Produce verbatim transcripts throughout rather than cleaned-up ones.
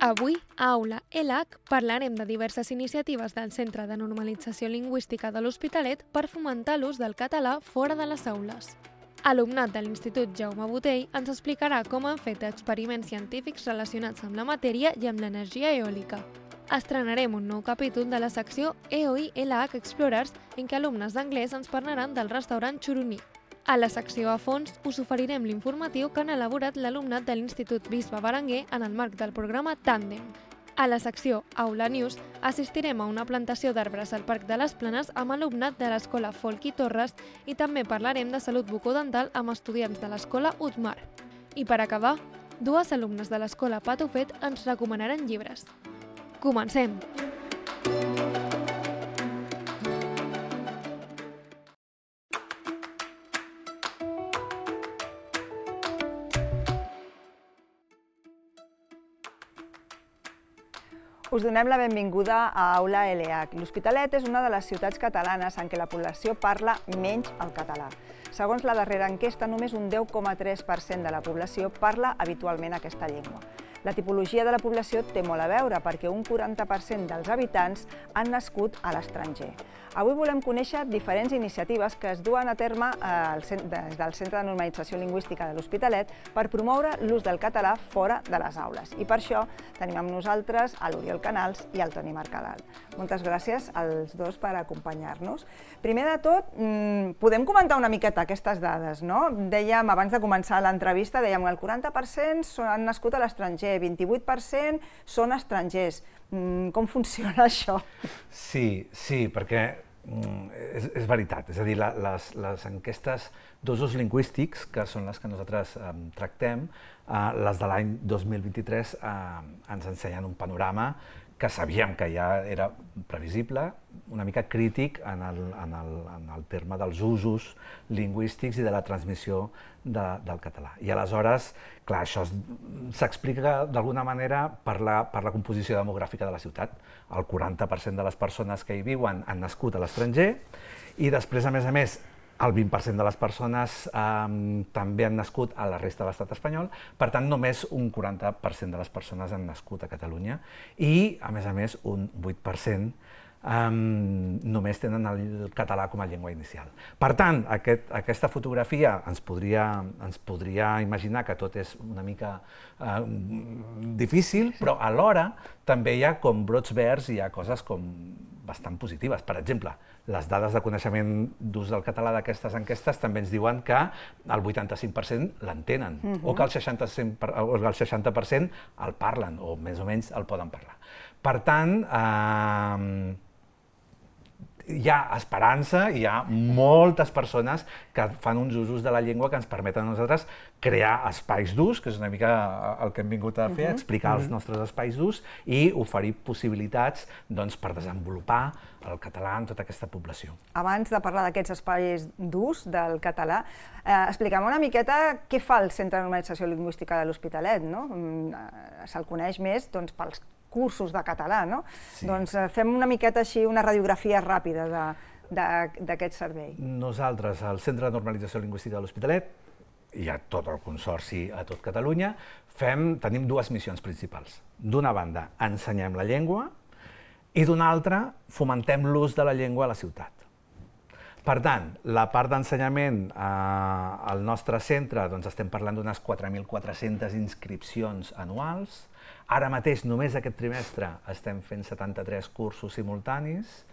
Avui, a Aula L H, parlarem de diverses iniciatives del Centre de Normalització Lingüística de l'Hospitalet per fomentar l'ús del català fora de les aules. Alumnat de l'Institut Jaume Botey ens explicarà com han fet experiments científics relacionats amb la matèria i amb l'energia eòlica. Estrenarem un nou capítol de la secció E O I L H Explorers en què alumnes d'anglès ens parlaran del restaurant Xuruní. A la secció a fons us oferirem l'informatiu que han elaborat l'alumnat de l'Institut Bisbe Berenguer en el marc del programa Tàndem. A la secció Aula News assistirem a una plantació d'arbres al Parc de les Planes amb alumnat de l'Escola Folk i Torres i també parlarem de salut bucodental amb estudiants de l'Escola Utmar. I per acabar, dues alumnes de l'Escola Patufet ens recomanaran llibres. Comencem! Us donem la benvinguda a Aula L H. L'Hospitalet és una de les ciutats catalanes en què la població parla menys el català. Segons la darrera enquesta, només un deu coma tres per cent de la població parla habitualment aquesta llengua. La tipologia de la població té molt a veure perquè un quaranta per cent dels habitants han nascut a l'estranger. Avui volem conèixer diferents iniciatives que es duen a terme des del Centre de Normalització Lingüística de l'Hospitalet per promoure l'ús del català fora de les aules. I per això tenim amb nosaltres a l'Oriol Canals i al Toni Mercadal. Moltes gràcies als dos per acompanyar-nos. Primer de tot, podem comentar una miqueta aquestes dades, no? Dèiem, abans de començar l'entrevista, dèiem que el quaranta per cent han nascut a l'estranger, vint-i-vuit per cent són estrangers. Com funciona això? Sí, sí, perquè és, és veritat. És a dir, les, les enquestes d'usos lingüístics, que són les que nosaltres eh, tractem, eh, les de l'any dos mil vint-i-tres eh, ens ensenyen un panorama que sabíem que ja era previsible, una mica crític en el, en el, en el terme dels usos lingüístics i de la transmissió de, del català. I aleshores, clar, això s'explica d'alguna manera per la, per la composició demogràfica de la ciutat. El quaranta per cent de les persones que hi viuen han nascut a l'estranger i després, a més a més, el vint per cent de les persones eh, també han nascut a la resta de l'estat espanyol, per tant, només un quaranta per cent de les persones han nascut a Catalunya i, a més a més, un vuit per cent eh, només tenen el català com a llengua inicial. Per tant, aquest, aquesta fotografia ens podria, ens podria imaginar que tot és una mica eh, difícil, però alhora també hi ha com brots verds i hi ha coses com bastant positives. Per exemple, les dades de coneixement d'ús del català d'aquestes enquestes també ens diuen que el vuitanta-cinc per cent l'entenen, uh-huh. o que el seixanta per cent el parlen, o més o menys el poden parlar. Per tant, eh, hi ha esperança, hi ha moltes persones que fan uns usos de la llengua que ens permeten a nosaltres crear espais d'ús, que és una mica el que hem vingut a fer, explicar els nostres espais d'ús i oferir possibilitats doncs, per desenvolupar el català en tota aquesta població. Abans de parlar d'aquests espais d'ús del català, eh, expliquem una miqueta què fa el Centre de Normalització Lingüística de l'Hospitalet, no? Se'l coneix més doncs, pels cursos de català, no? Sí. Doncs fem una miqueta així, una radiografia ràpida d'aquest servei. Nosaltres, al Centre de Normalització Lingüística de l'Hospitalet, i a tot el consorci a tot Catalunya, fem, tenim dues missions principals. D'una banda, ensenyem la llengua i d'una altra, fomentem l'ús de la llengua a la ciutat. Per tant, la part d'ensenyament eh, al nostre centre, doncs estem parlant d'unes quatre mil quatre-centes inscripcions anuals. Ara mateix, només aquest trimestre, estem fent setanta-tres cursos simultanis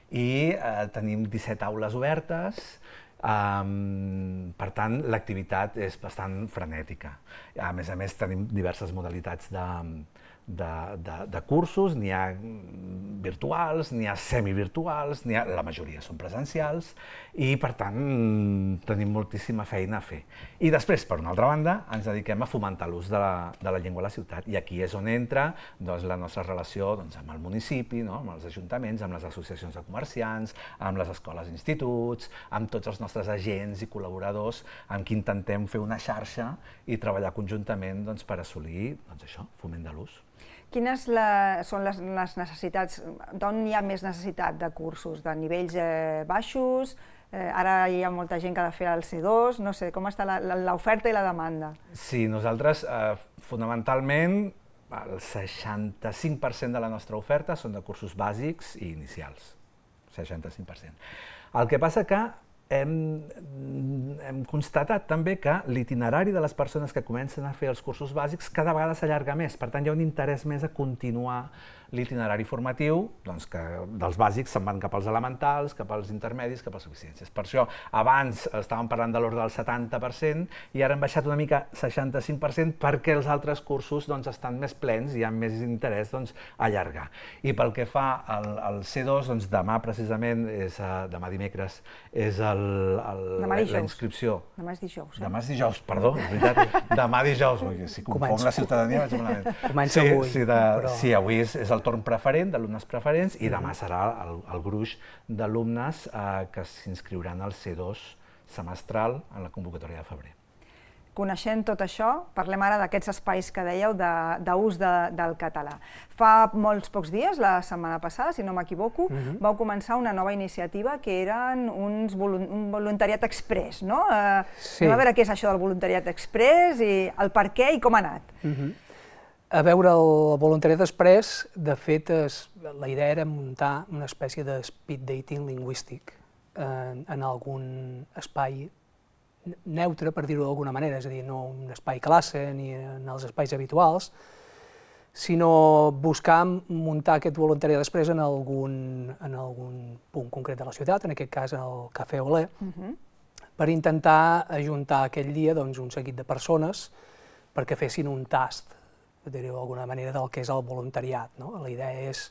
i eh, tenim disset aules obertes. Um, per tant, l'activitat és bastant frenètica. A més a més, tenim diverses modalitats de, de, de, de cursos, n'hi ha virtuals, n'hi ha semivirtuals, n'hi ha, la majoria són presencials i, per tant, tenim moltíssima feina a fer. I després, per una altra banda, ens dediquem a fomentar l'ús de, la, de la llengua a la ciutat i aquí és on entra doncs, la nostra relació doncs, amb el municipi, no? Amb els ajuntaments, amb les associacions de comerciants, amb les escoles i instituts, amb tots els nostres agents i col·laboradors amb qui intentem fer una xarxa i treballar conjuntament doncs, per assolir doncs, això, foment de l'ús. Quines la, són les, les necessitats, d'on hi ha més necessitat de cursos? De nivells eh, baixos? Eh, ara hi ha molta gent que ha de fer el C dos, no sé, com està l'oferta i la demanda? Sí, nosaltres eh, fonamentalment el seixanta-cinc per cent de la nostra oferta són de cursos bàsics i inicials, seixanta-cinc per cent. El que passa que hem, hem constatat també que l'itinerari de les persones que comencen a fer els cursos bàsics cada vegada s'allarga més, per tant hi ha un interès més a continuar l'itinerari formatiu, doncs que dels bàsics se'n van cap als elementals, cap als intermedis, cap a les suficiències. Per això abans estàvem parlant de l'ordre del setanta per cent i ara hem baixat una mica seixanta-cinc per cent perquè els altres cursos doncs, estan més plens i hi ha més interès doncs, a allargar. I pel que fa al, al C dos, doncs, demà precisament, és, uh, demà dimecres, és el, el, la inscripció. Demà és dijous. Eh? Demà és dijous, perdó, és veritat. Demà dijous, si confonc la ciutadania vaig malament. Comença sí, avui. Sí, de, però... sí, avui és, és el torn preferent, d'alumnes preferents, i demà serà el, el gruix d'alumnes eh, que s'inscriuran al C dos semestral en la convocatòria de febrer. Coneixent tot això, parlem ara d'aquests espais que dèieu d'ús de, de, del català. Fa molts pocs dies, la setmana passada, si no m'equivoco, uh-huh. vau començar una nova iniciativa que eren uns un voluntariat express, no? Eh, sí. Anem a veure què és això del voluntariat express i el per què i com ha anat. Uh-huh. A veure, el voluntariat express, de fet, es, la idea era muntar una espècie de speed dating lingüístic en, en algun espai neutre, per dir-ho d'alguna manera, és a dir, no un espai classe ni en els espais habituals, sinó buscar muntar aquest voluntariat express en algun, en algun punt concret de la ciutat, en aquest cas el Cafè Olé, uh-huh. per intentar ajuntar aquell dia doncs, un seguit de persones perquè fessin un tast, per dir-ho d'alguna manera, del que és el voluntariat. No? La idea és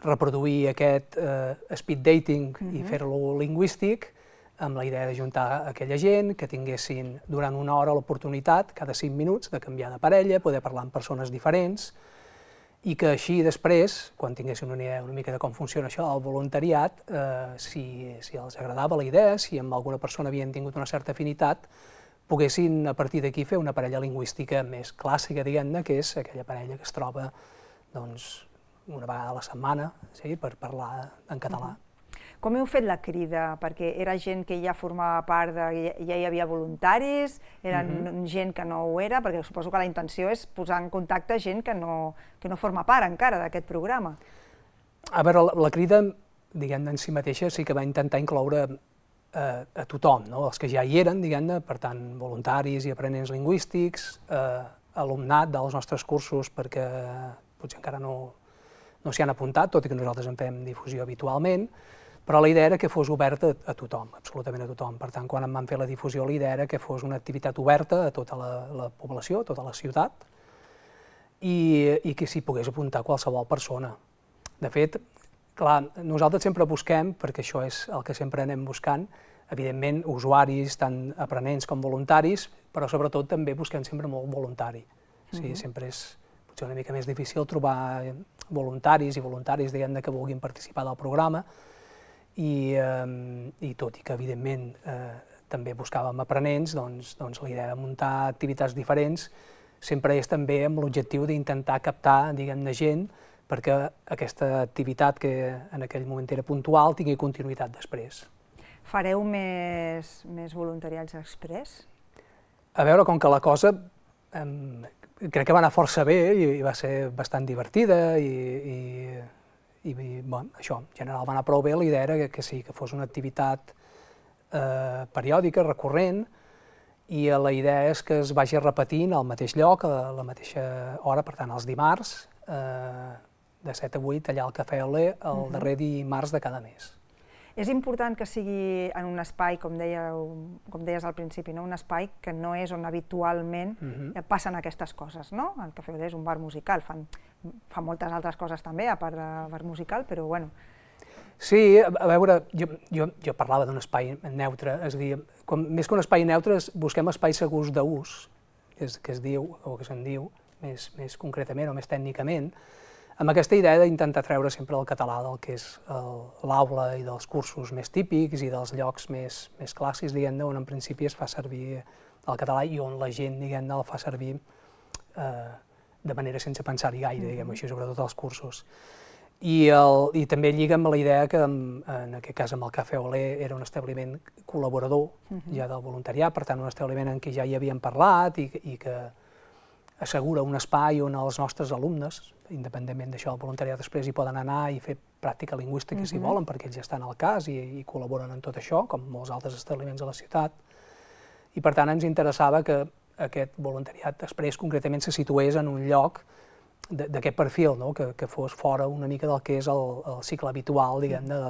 reproduir aquest eh, speed dating uh-huh. i fer-lo lingüístic amb la idea d'ajuntar aquella gent que tinguessin durant una hora l'oportunitat, cada cinc minuts, de canviar de parella, poder parlar amb persones diferents i que així després, quan tinguessin una idea una mica de com funciona això del voluntariat, eh, si, si els agradava la idea, si amb alguna persona havien tingut una certa afinitat, poguessin a partir d'aquí fer una parella lingüística més clàssica, diguem-ne, que és aquella parella que es troba doncs, una vegada a la setmana, sí, per parlar en català. Uh-huh. Com heu fet la crida? Perquè era gent que ja formava part, de, ja hi havia voluntaris, eren uh-huh. gent que no ho era, perquè suposo que la intenció és posar en contacte gent que no, que no forma part encara d'aquest programa. A veure, la, la crida, diguem-ne, en si mateixa sí que va intentar incloure a, a tothom, no? Els que ja hi eren, diguem-ne, per tant, voluntaris i aprenents lingüístics, eh, alumnat dels nostres cursos, perquè potser encara no, no s'hi han apuntat, tot i que nosaltres en fem difusió habitualment, però la idea era que fos oberta a tothom, absolutament a tothom. Per tant, quan em van fer la difusió, la idea era que fos una activitat oberta a tota la, la població, a tota la ciutat, i, i que s'hi pogués apuntar qualsevol persona. De fet, clar, nosaltres sempre busquem, perquè això és el que sempre anem buscant, evidentment, usuaris, tant aprenents com voluntaris, però sobretot també busquem sempre molt voluntari. O sigui, uh-huh. sempre és potser una mica més difícil trobar voluntaris i voluntaris, diguem-ne, que vulguin participar del programa, i, eh, i tot i que, evidentment, eh, també buscàvem aprenents, doncs, doncs la idea de muntar activitats diferents sempre és també amb l'objectiu d'intentar captar, diguem-ne, gent perquè aquesta activitat que en aquell moment era puntual tingui continuïtat després. Fareu més, més voluntariats express? A veure, com que la cosa eh, crec que va anar força bé i, i va ser bastant divertida i, i i bueno, això, en general va anar prou bé, la idea era que, que sí, que fos una activitat eh, periòdica, recurrent, i la idea és que es vagi repetint al mateix lloc, a la mateixa hora, per tant, els dimarts, eh, de set a vuit, allà al Cafè Olé, el uh-huh. darrer dimarts de cada mes. És important que sigui en un espai, com, dèieu, com deies al principi, no? Un espai que no és on habitualment uh-huh. passen aquestes coses, no? El Cafè Olé és un bar musical, fan, fan moltes altres coses també, a part de bar musical, però bueno. Sí, a veure, jo, jo, jo parlava d'un espai neutre, és a dir, com, més que un espai neutre, busquem espais segurs d'ús, que, es, que es diu, o que se'n diu, més, més concretament o més tècnicament, amb aquesta idea d'intentar treure sempre el català del que és l'aula i dels cursos més típics i dels llocs més, més clàssics, diguem-ne, on en principi es fa servir el català i on la gent, diguem-ne, el fa servir eh, de manera sense pensar-hi gaire, diguem-ho així, sobretot els cursos. I, el, i també lliga amb la idea que, en aquest cas, amb el Cafè Olé era un establiment col·laborador uh-huh. ja del voluntariat, per tant, un establiment en què ja hi havíem parlat i, i que assegura un espai on els nostres alumnes, independentment d'això, el voluntariat després hi poden anar i fer pràctica lingüística si volen, perquè ells ja estan al cas i, i col·laboren en tot això, com molts altres establiments de la ciutat. I per tant ens interessava que aquest voluntariat després concretament se situés en un lloc d'aquest perfil, no? que, que fos fora una mica del que és el, el cicle habitual, diguem, de,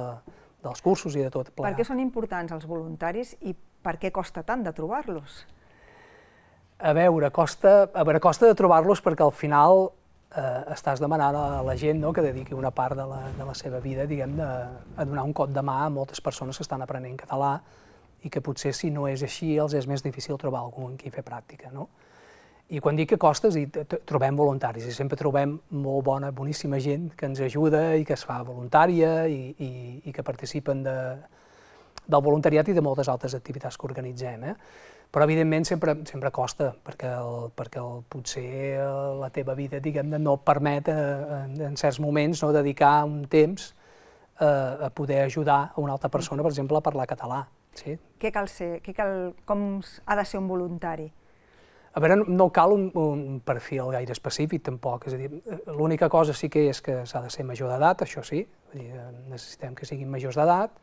dels cursos i de tot plegat. Per què són importants els voluntaris i per què costa tant de trobar-los? A veure, costa, a veure, costa de trobar-los perquè al final eh, estàs demanant a la gent, no?, que dediqui una part de la, de la seva vida, diguem, de, a donar un cop de mà a moltes persones que estan aprenent català i que potser si no és així els és més difícil trobar algú en qui fer pràctica, no? I quan dic que costa, trobem voluntaris i sempre trobem molt bona, boníssima gent que ens ajuda i que es fa voluntària i, i, i que participen de, del voluntariat i de moltes altres activitats que organitzem, eh? Però, evidentment, sempre, sempre costa, perquè, el, perquè el, potser la teva vida, diguem, no et permet en, en certs moments no, dedicar un temps eh, a poder ajudar a una altra persona, per exemple, a parlar català. Sí? Què cal ser? Què cal, com ha de ser un voluntari? A veure, no cal un, un perfil gaire específic, tampoc. És a dir, l'única cosa sí que és que s'ha de ser major d'edat, això sí, vull dir, necessitem que siguin majors d'edat,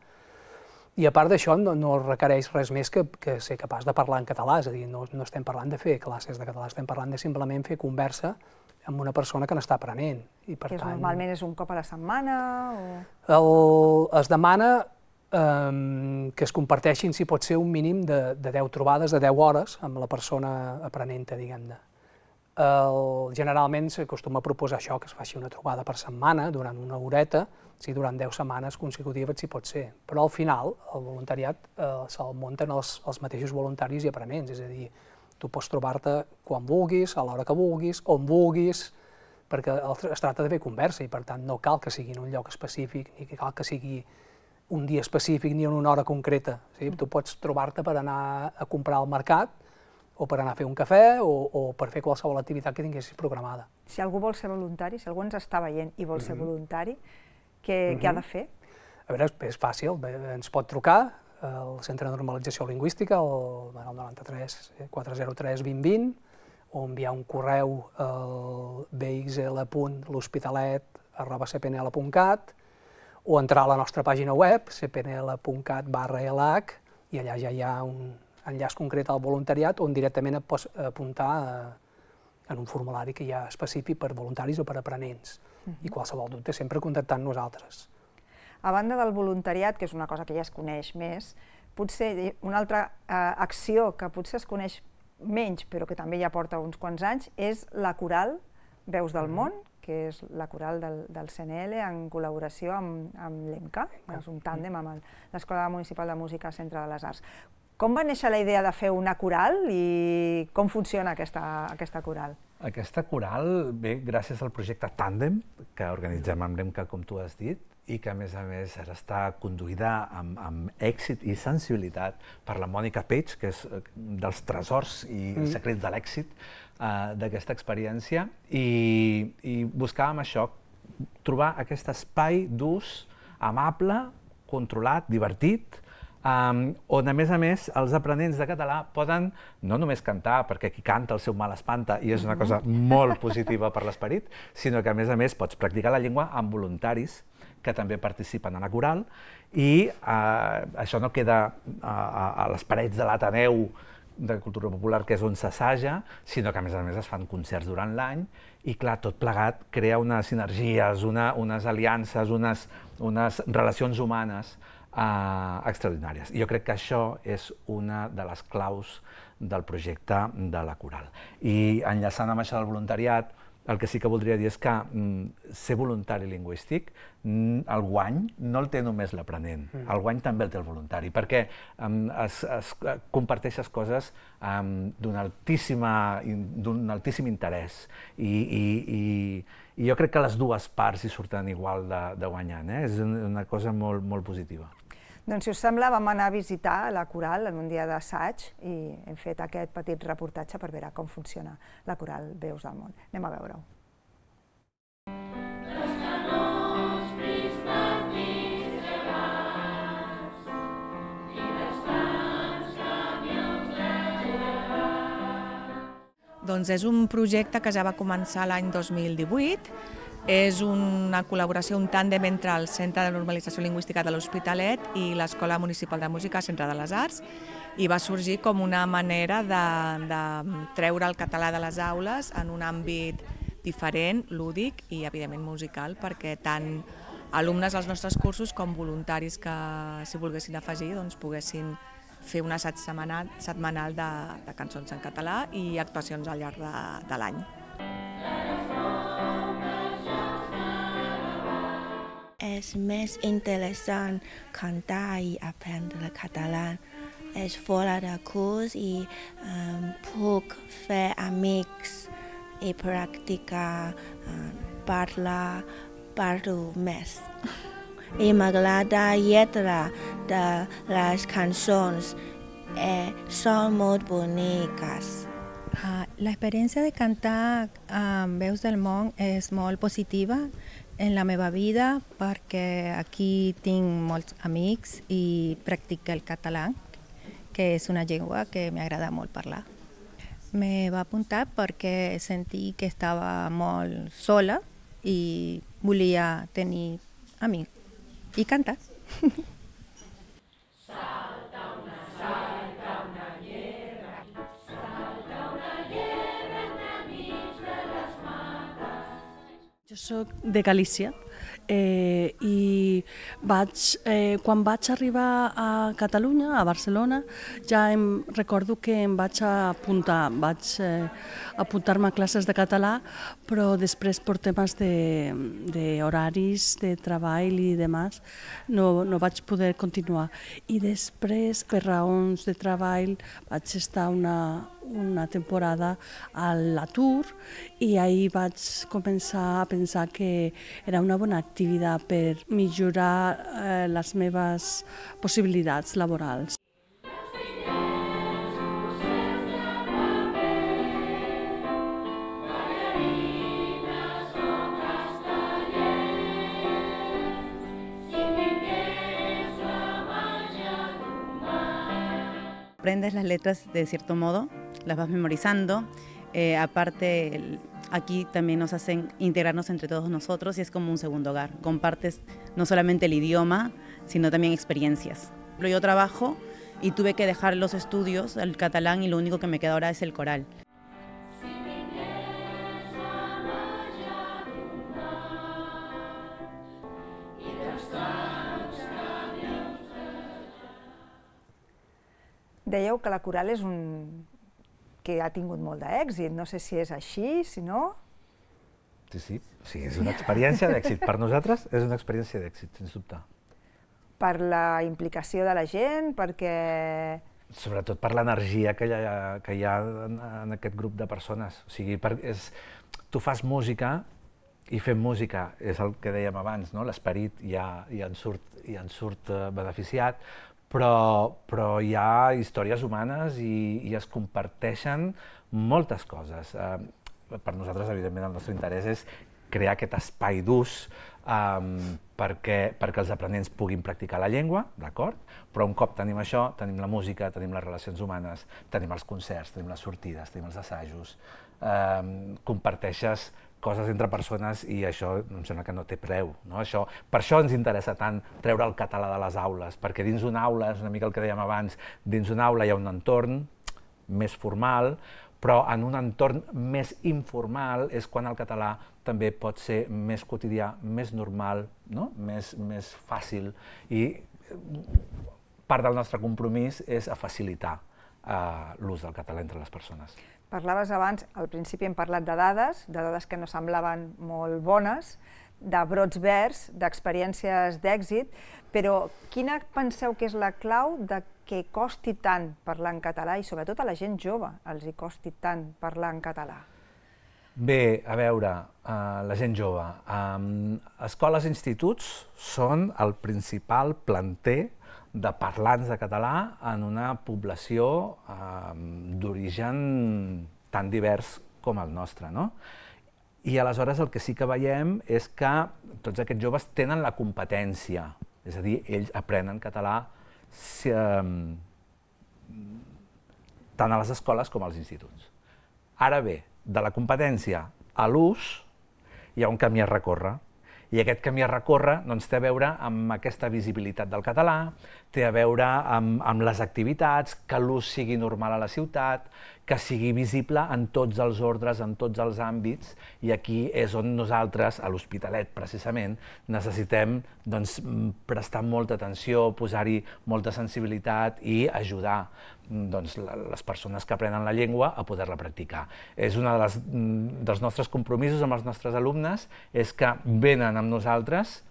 i a part d'això no, no requereix res més que, que ser capaç de parlar en català, és a dir, no, no estem parlant de fer classes de català, estem parlant de simplement fer conversa amb una persona que n'està aprenent. I per que és, tant, normalment és un cop a la setmana? O... El, es demana eh, que es comparteixin, si pot ser, un mínim de, de deu trobades, de deu hores, amb la persona aprenenta, diguem-ne. El, generalment s'acostuma a proposar això, que es faci una trobada per setmana, durant una horeta, si durant deu setmanes consecutives si pot ser. Però al final el voluntariat eh, se'l munten els, els mateixos voluntaris i aprenents, és a dir, tu pots trobar-te quan vulguis, a l'hora que vulguis, on vulguis, perquè es tracta de fer conversa i per tant no cal que sigui en un lloc específic, ni que cal que sigui un dia específic ni en una hora concreta. Sí? Tu pots trobar-te per anar a comprar al mercat, o per anar a fer un cafè, o, o per fer qualsevol activitat que tinguessis programada. Si algú vol ser voluntari, si algú ens està veient i vol ser Mm-hmm. voluntari, què, Mm-hmm. què ha de fer? A veure, és, és fàcil, bé, ens pot trucar al Centre de Normalització Lingüística, al, al noranta-tres quatre zero tres vint vint, o enviar un correu al b x l punt l'hospitalet arroba c p n l punt cat, o entrar a la nostra pàgina web, c p n l punt cat barra l h, i allà ja hi ha un enllaç concret al voluntariat on directament et pots apuntar en un formulari que hi ha específic per voluntaris o per aprenents. I qualsevol dubte sempre contactant nosaltres. A banda del voluntariat, que és una cosa que ja es coneix més, potser una altra eh, acció que potser es coneix menys, però que també ja porta uns quants anys, és la coral Veus del Món, que és la coral del, del C N L en col·laboració amb, amb l'E M C A, és un tàndem amb l'Escola Municipal de Música Centre de les Arts. Com va néixer la idea de fer una coral i com funciona aquesta, aquesta coral? Aquesta coral ve gràcies al projecte Tàndem, que organitzem amb l'E M C A, com tu has dit, i que, a més a més, ara està conduïda amb, amb èxit i sensibilitat per la Mònica Page, que és dels tresors i mm. secrets de l'èxit uh, d'aquesta experiència, i, i buscàvem això, trobar aquest espai d'ús amable, controlat, divertit, Um, on, a més a més, els aprenents de català poden no només cantar, perquè qui canta el seu mal espanta, i és una cosa molt positiva per l'esperit, sinó que, a més a més, pots practicar la llengua amb voluntaris que també participen a la coral, i uh, això no queda uh, a les parets de l'Ateneu de Cultura Popular, que és on s'assaja, sinó que, a més a més, es fan concerts durant l'any, i, clar, tot plegat crea unes sinergies, una, unes aliances, unes, unes relacions humanes Uh, extraordinàries. I jo crec que això és una de les claus del projecte de la coral. I enllaçant amb això del voluntariat, el que sí que voldria dir és que mm, ser voluntari lingüístic, mm, el guany no el té només l'aprenent, mm. el guany també el té el voluntari, perquè um, es, es comparteixes coses um, d'un d'un altíssim interès i, i, i, i jo crec que les dues parts hi surten igual de, de guanyant, eh? És una cosa molt, molt positiva. Doncs, si us sembla, vam anar a visitar la coral en un dia d'assaig i hem fet aquest petit reportatge per veure com funciona la coral Veus del Món. Anem a veure-ho. Doncs és un projecte que ja va començar l'any dos mil divuit. És una col·laboració, un tàndem entre el Centre de Normalització Lingüística de l'Hospitalet i l'Escola Municipal de Música, Centre de les Arts, i va sorgir com una manera de, de treure el català de les aules en un àmbit diferent, lúdic i, evidentment, musical, perquè tant alumnes als nostres cursos com voluntaris que s'hi volguessin afegir doncs, poguessin fer un assaig setmanal, setmanal de, de cançons en català i actuacions al llarg de, de l'any. És més interessant cantar i aprendre català. És fora de curs i um, puc fer amics i practicar, um, parlar, parlo més. I m'agrada lletra de les cançons, eh, són molt boniques. Uh, la experiencia de cantar um, Veus del Món és molt positiva en la meva vida perquè aquí tinc molts amics i practico el català, que és una llengua que m'agrada molt parlar. Me va apuntar perquè sentí que estava molt sola i volia tenir amics i cantar. Jo soc de Galícia eh, i vaig, eh, quan vaig arribar a Catalunya, a Barcelona, ja em recordo que em vaig apuntar, vaig eh, apuntar-me a classes de català, però després per temes d'horaris, de, de treball i demás, no, no vaig poder continuar. I després, per raons de treball, vaig estar una, una temporada a l'atur i ahir vaig començar a pensar que era una bona activitat per millorar eh, les meves possibilitats laborals. Aprendes las letras de cierto modo, las vas memorizando, eh, aparte el, aquí también nos hacen integrarnos entre todos nosotros y es como un segundo hogar. Compartes no solamente el idioma, sino también experiencias. Yo trabajo y tuve que dejar los estudios, el catalán, y lo único que me queda ahora es el coral. Dèieu que la coral és un que ha tingut molt d'èxit. No sé si és així, si no... Sí, sí, sí, és una experiència d'èxit. Per nosaltres és una experiència d'èxit, sens dubte. Per la implicació de la gent, perquè... Sobretot per l'energia que hi ha, que hi ha en, en aquest grup de persones. O sigui, per, és, tu fas música i fent música, és el que dèiem abans, no? L'esperit ja, ja en surt, ja en surt uh, beneficiat, però, però hi ha històries humanes i, i es comparteixen moltes coses. Uh, per nosaltres, evidentment, el nostre interès és crear aquest espai d'ús um, perquè, perquè els aprenents puguin practicar la llengua, d'acord? Però un cop tenim això, tenim la música, tenim les relacions humanes, tenim els concerts, tenim les sortides, tenim els assajos, um, comparteixes coses entre persones i això em sembla que no té preu. No? Això, per això ens interessa tant treure el català de les aules, perquè dins d'una aula, és una mica el que dèiem abans, dins d'una aula hi ha un entorn més formal, però en un entorn més informal és quan el català també pot ser més quotidià, més normal, no? més, més fàcil, i part del nostre compromís és a facilitar uh, l'ús del català entre les persones. Parlaves abans, al principi hem parlat de dades, de dades que no semblaven molt bones, de brots verds, d'experiències d'èxit, però quina penseu que és la clau de que costi tant parlar en català i sobretot a la gent jove els hi costi tant parlar en català? Bé, a veure, uh, la gent jove. Um, escoles i instituts són el principal planter de parlants de català en una població eh, d'origen tan divers com el nostre, no? I aleshores el que sí que veiem és que tots aquests joves tenen la competència, és a dir, ells aprenen català si, eh, tant a les escoles com als instituts. Ara bé, de la competència a l'ús hi ha un camí a recórrer. I aquest camí a recórrer doncs, té a veure amb aquesta visibilitat del català, té a veure amb, amb les activitats, que l'ús sigui normal a la ciutat, que sigui visible en tots els ordres, en tots els àmbits, i aquí és on nosaltres, a l'Hospitalet precisament, necessitem doncs, prestar molta atenció, posar-hi molta sensibilitat i ajudar doncs, les persones que aprenen la llengua a poder-la practicar. És un dels nostres compromisos amb els nostres alumnes, és que venen amb nosaltres,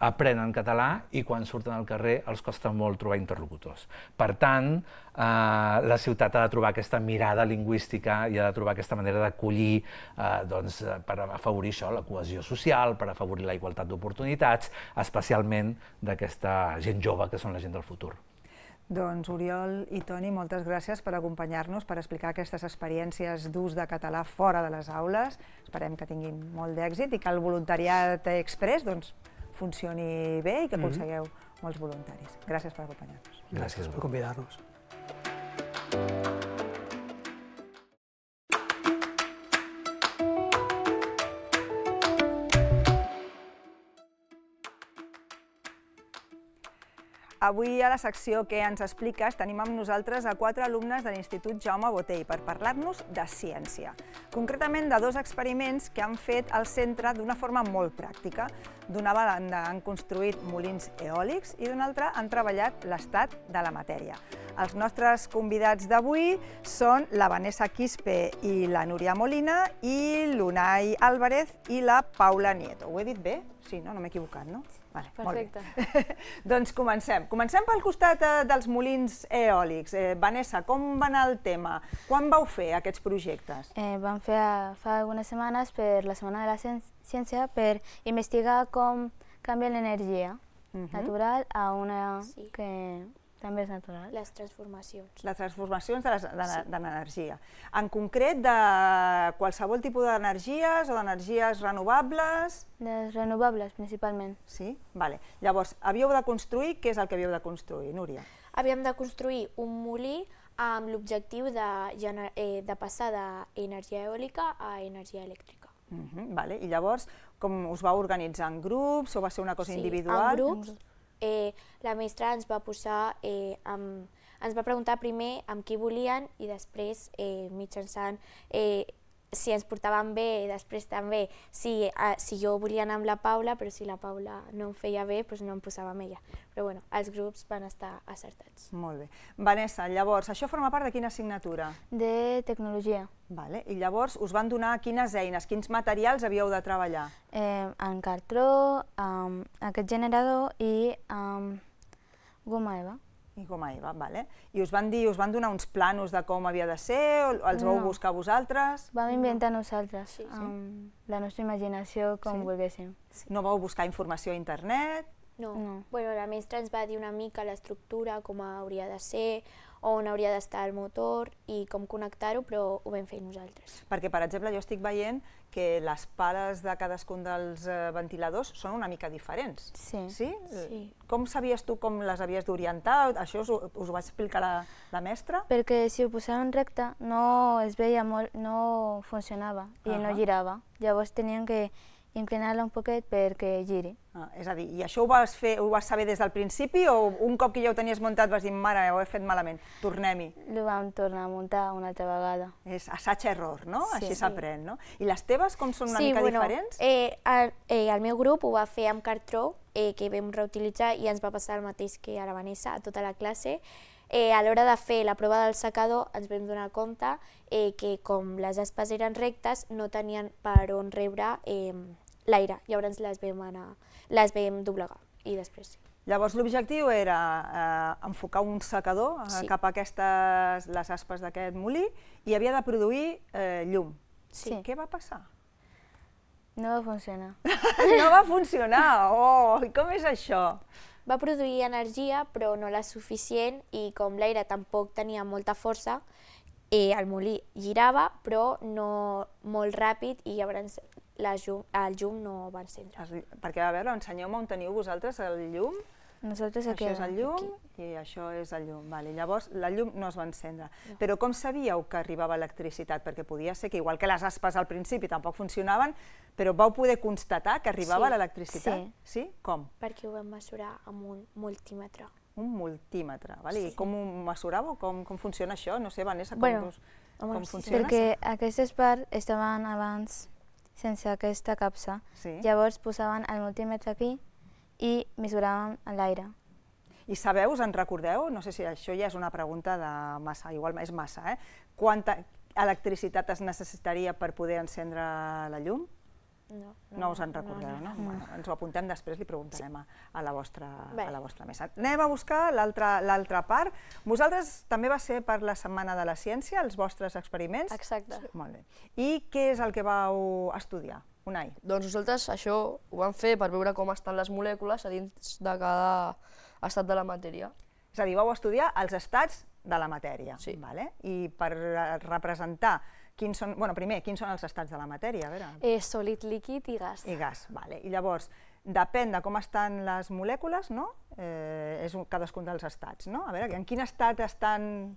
aprenen català i quan surten al carrer els costa molt trobar interlocutors. Per tant, eh, la ciutat ha de trobar aquesta mirada lingüística i ha de trobar aquesta manera d'acollir eh, doncs, per afavorir això, la cohesió social, per afavorir la igualtat d'oportunitats, especialment d'aquesta gent jove que són la gent del futur. Doncs Oriol i Toni, moltes gràcies per acompanyar-nos, per explicar aquestes experiències d'ús de català fora de les aules. Esperem que tinguin molt d'èxit i que el voluntariat express doncs, funcioni bé i que aconsegueu molts voluntaris. Gràcies per acompanyar-nos. Gràcies per convidar-nos. Avui a la secció Què ens expliques tenim amb nosaltres a quatre alumnes de l'Institut Jaume Botey per parlar-nos de ciència. Concretament de dos experiments que han fet al centre d'una forma molt pràctica. D'una banda han construït molins eòlics i d'una altra han treballat l'estat de la matèria. Els nostres convidats d'avui són la Vanessa Quispe i la Núria Molina i l'Unai Álvarez i la Paula Nieto. Ho he dit bé? Sí, no? No m'he equivocat, no? Vale, perfecte. Doncs comencem. Comencem pel costat eh, dels molins eòlics. Eh, Vanessa, com va anar el tema? Quan vau fer aquests projectes? Eh, vam fer a, fa algunes setmanes per la Setmana de la Ciència per investigar com canvia l'energia uh-huh. natural a una sí. que també és natural. Les transformacions. Les transformacions de l'energia. Sí. En concret, de qualsevol tipus d'energies o d'energies renovables? Les renovables, principalment. Sí? Vale. Llavors, havíeu de construir, què és el que havíeu de construir, Núria? Havíem de construir un molí amb l'objectiu de, eh, de passar d'energia eòlica a energia elèctrica. Uh-huh. Vale. I llavors, com us vau organitzar en grups o va ser una cosa sí, individual? Sí, en grups. Eh, la mestra ens va posar, eh, amb, ens va preguntar primer amb qui volien i després eh, mitjançant eh, si ens portaven bé, després també si, eh, si jo volia anar amb la Paula, però si la Paula no em feia bé, doncs no em posava amb ella. Però bueno, els grups van estar acertats. Molt bé. Vanessa, llavors, això forma part de quina assignatura? De tecnologia. Vale. I llavors us van donar quines eines, quins materials havíeu de treballar? Eh, en cartró, um, aquest generador i um, goma eva. I goma eva, vale. I us van dir, us van donar uns planos de com havia de ser o els vau no. buscar vosaltres? Vam inventar nosaltres, sí, sí. amb la nostra imaginació com sí? volguéssim. Sí. No vau buscar informació a internet? No. no. Bueno, la mestra ens va dir una mica l'estructura, com hauria de ser, on hauria d'estar el motor i com connectar-ho, però ho vam fer nosaltres. Perquè, per exemple, jo estic veient que les pales de cadascun dels eh, ventiladors són una mica diferents. Sí. Sí? sí. Com sabies tu com les havies d'orientar? Això us, us ho va explicar la, la mestra? Perquè si ho posàvem recte no es veia molt, no funcionava i uh-huh. no girava. Llavors teníem que inclinar-la un poquet perquè giri. Ah, és a dir, i això ho vas, fer, ho vas saber des del principi o un cop que ja ho tenies muntat vas dir, mare, ho he fet malament, tornem-hi? Ho vam tornar a muntar una altra vegada. És assaig-error, no? Sí, Així sí. s'aprèn, no? I les teves com són una sí, mica bueno, diferents? Eh, el, eh, el meu grup ho va fer amb cartró, eh, que vam reutilitzar i ens va passar el mateix que a la Vanessa, a tota la classe. Eh, a l'hora de fer la prova del secador ens vam donar compte eh, que com les aspes eren rectes no tenien per on rebre eh, l'aire, llavors les vam, anar, les vam doblegar i després sí. Llavors l'objectiu era eh, enfocar un secador eh, sí. cap a aquestes, les aspes d'aquest molí i havia de produir eh, llum. Sí. Què va passar? No va funcionar. No va funcionar! Oh, i com és això? Va produir energia però no la suficient i com l'aire tampoc tenia molta força, eh, el molí girava però no molt ràpid i llavors la llum, el llum no va encendre. Perquè, a veure, ensenyeu-me on teniu vosaltres el llum. Nosaltres Això és queda el llum aquí. i això és el llum. Vale. Llavors, la llum no es va encendre. Però com sabíeu que arribava electricitat? Perquè podia ser que, igual que les aspes al principi tampoc funcionaven, però vau poder constatar que arribava Sí, l'electricitat? sí. Sí? Com? Perquè ho vam mesurar amb un multímetre. Un multímetre, vale? I Sí. com ho mesuràveu? Com, com funciona això? No sé, Vanessa, com, Bueno, us, com funciona? Perquè aquestes parts estaven abans sense aquesta capsa. Sí. Llavors posaven el multímetre aquí i mesuraven l'aire. I sabeu, us en recordeu? No sé si això ja és una pregunta de massa, igual és massa, eh? Quanta electricitat es necessitaria per poder encendre la llum? No, No us en recordeu, no? no. Bueno, ens ho apuntem després, li preguntarem a, a, la vostra, Bé. a la vostra mesa. Anem a buscar l'altra l'altra part. Vosaltres també va ser per la Setmana de la Ciència, els vostres experiments? Exacte. Molt bé. I què és el que vau estudiar? Unai? Doncs nosaltres això ho vam fer per veure com estan les molècules a dins de cada estat de la matèria. És a dir, vau estudiar els estats de la matèria. Sí. Vale? I per representar quins són, bueno, primer, quins són els estats de la matèria? A veure. Eh, sòlid, líquid i gas. I gas, vale. I llavors, depèn de com estan les molècules, no? Eh, és un, cadascun dels estats, no? A veure, en quin estat estan...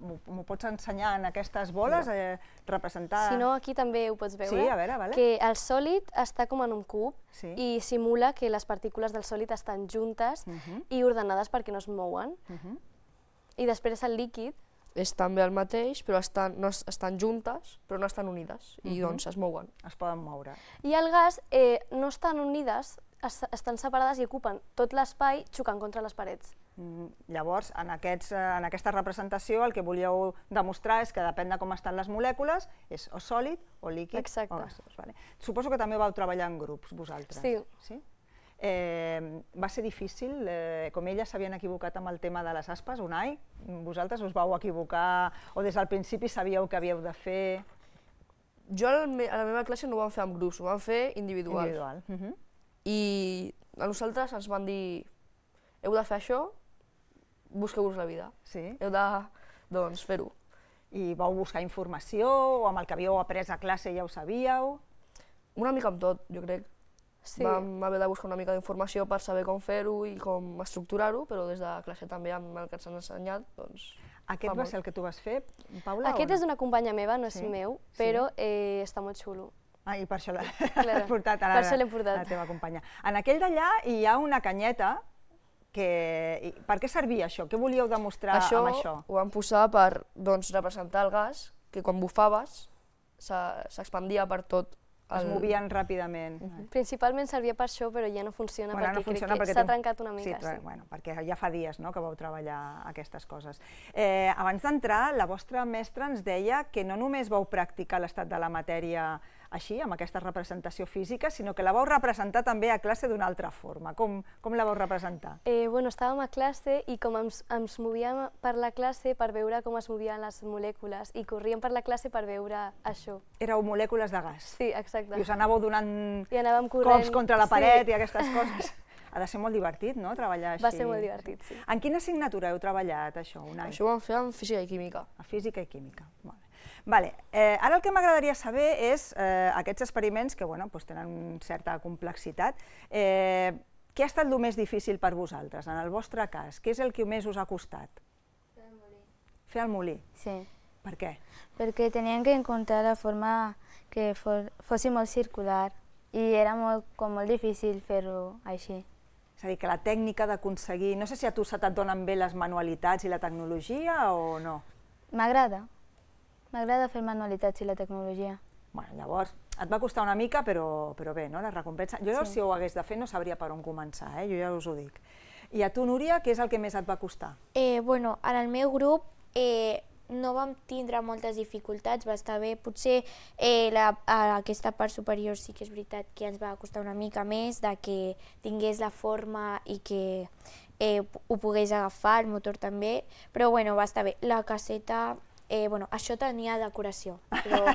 M'ho pots ensenyar en aquestes boles? Eh, representar... Si no, aquí també ho pots veure. Sí, a veure, vale. Que el sòlid està com en un cub Sí. i simula que les partícules del sòlid estan juntes Mhm. i ordenades perquè no es mouen. Mhm. I després el líquid, És també el mateix, però estan, no, es- estan juntes, però no estan unides, i Mhm. doncs es mouen. Es poden moure. i el gas eh, no estan unides, es, estan separades i ocupen tot l'espai xocant contra les parets. Mm, Llavors, en, aquests, eh, en aquesta representació, el que volíeu demostrar és que depèn de com estan les molècules, és o sòlid, o líquid, Exacte. o gasós. Vale. Suposo que també vau treballar en grups, vosaltres. Sí. sí? Eh, va ser difícil, eh, com elles s'havien equivocat amb el tema de les aspes, Unai, vosaltres us vau equivocar o des del principi sabíeu que havíeu de fer Jo al me- a la meva classe no ho vam fer amb grups, ho vam fer individuals. individual? Mhm. I a nosaltres ens van dir, heu de fer això, busqueu-vos la vida. Sí. Heu de, doncs, fer-ho. I vau buscar informació o amb el que havíeu après a classe ja ho sabíeu? Una mica amb tot, jo crec. Sí. Vam haver de buscar una mica d'informació per saber com fer-ho i com estructurar-ho, però des de classe també amb el que ens han ensenyat, doncs... Aquest fa va molt. ser el que tu vas fer, Paula? Aquest o no? és d'una companya meva, no és Sí? meu, Sí. però eh, està molt xulo. Ah, i per això l'has Claro, portat ara per això l'he portat. la teva companya. En aquell d'allà hi ha una canyeta que... i per què servia això? Què volíeu demostrar això amb això? ho vam posar per doncs, representar el gas, que quan bufaves s'e- s'expandia per tot. Es el- movien ràpidament. Principalment servia per això, però ja no funciona Bueno, perquè no funciona crec que perquè s'ha té un- trencat una Sí, mica. però, bueno, perquè ja fa dies no, que vau treballar aquestes coses. Eh, abans d'entrar, la vostra mestra ens deia que no només vau practicar l'estat de la matèria així, amb aquesta representació física, sinó que la vau representar també a classe d'una altra forma. Com, com la vau representar? Eh, bueno, estàvem a classe i com ens, ens movíem per la classe per veure com es movien les molècules i corríem per la classe per veure això. Éreu molècules de gas. Sí, exacte. I us anàveu donant I anàvem corrent. cops contra la paret Sí. i aquestes coses. Ha de ser molt divertit, no?, treballar així. Va ser molt divertit, sí. En quina assignatura heu treballat, això, Unai? Això ho vam fer en física i química. A física i química. Molt bé. Vale. Eh, ara el que m'agradaria saber és eh, aquests experiments que bueno, doncs tenen certa complexitat. Eh, què ha estat el més difícil per vosaltres, en el vostre cas? Què és el que més us ha costat? Fer el molí. Fer el molí. Sí, Per què? perquè teníem que encontrar la forma que fos, fos molt circular i era molt, com molt difícil fer-ho així. És a dir, que la tècnica d'aconseguir... No sé si a tu se te't donen bé les manualitats i la tecnologia o no. M'agrada. M'agrada fer manualitats i la tecnologia. Bueno, llavors, et va costar una mica, però, però bé, no? La recompensa... Jo, Sí. si ho hagués de fer, no sabria per on començar, eh? Jo ja us ho dic. I a tu, Núria, què és el que més et va costar? Eh, bueno, en el meu grup eh, no vam tindre moltes dificultats, va estar bé. Potser eh, la, a aquesta part superior sí que és veritat que ens va costar una mica més, de que tingués la forma i que eh, ho pogués agafar, el motor també, però bueno, va estar bé. La caseta, eh, bueno, això tenia decoració, però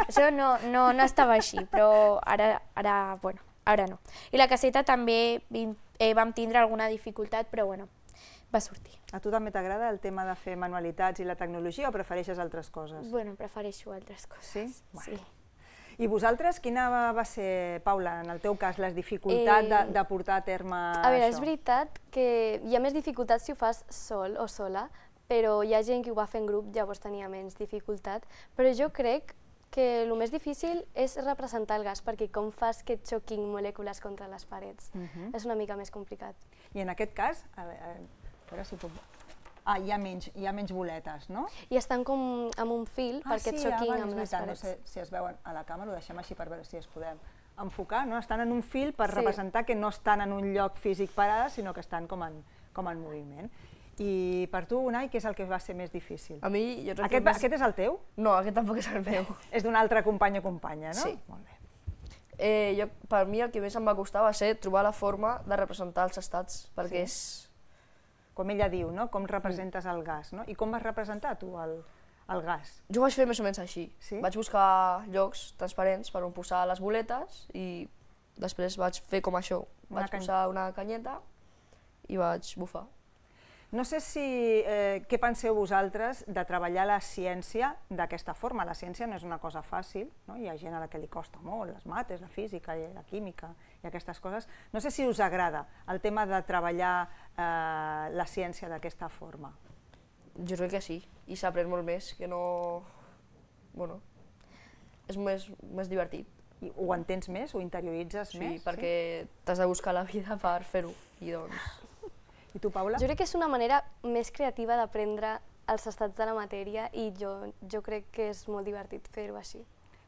això no, no, no estava així, però ara, ara, bueno, ara no. I la caseta també vim- eh, vam tindre alguna dificultat, però bueno, va sortir. A tu també t'agrada el tema de fer manualitats i la tecnologia o prefereixes altres coses? Bueno, prefereixo altres coses. Sí? Sí. I vosaltres, quina va ser, Paula, en el teu cas, la dificultat de, de portar a terme A veure, això? és veritat que hi ha més dificultats si ho fas sol o sola, però hi ha gent que ho va fer en grup, llavors tenia menys dificultat. Però jo crec que el més difícil és representar el gas, perquè com fas que et xoquin molècules contra les parets? Mhm. És una mica més complicat. I en aquest cas, a veure, a veure si puc... Ah, hi ha menys, hi ha menys boletes, no? I estan com amb un fil Ah, perquè et sí, xoquin ah, val, amb és les veritat, parets. no sé si es veuen a la càmera, ho deixem així per veure si es podem enfocar, no? Estan en un fil per Sí. representar que no estan en un lloc físic parades, sinó que estan com en, com en moviment. I per tu, Unai, què és el que va ser més difícil? A mi, jo crec aquest, que... Més... Aquest és el teu? No, aquest tampoc és el meu. És d'un altre company o companya, no? Sí. Molt bé. Eh, jo, per mi el que més em va costar va ser trobar la forma de representar els estats, perquè Sí. és... Com ella diu, no? Com representes el gas, no? I com vas representar tu el, el gas? Jo ho vaig fer més o menys així. Sí? Vaig buscar llocs transparents per on posar les boletes i després vaig fer com això. Una Vaig cany- posar una canyeta i vaig bufar. No sé si, eh, què penseu vosaltres de treballar la ciència d'aquesta forma. La ciència no és una cosa fàcil, no? Hi ha gent a la que li costa molt, les mates, la física, la química i aquestes coses. No sé si us agrada el tema de treballar eh, la ciència d'aquesta forma. Jo crec que sí, i s'aprèn molt més, que no... Bueno, és més, més divertit. I ho entens més, ho interioritzes Sí, més? perquè t'has de buscar la vida per fer-ho, i doncs... I tu, Paula? Jo crec que és una manera més creativa d'aprendre els estats de la matèria i jo, jo crec que és molt divertit fer-ho així.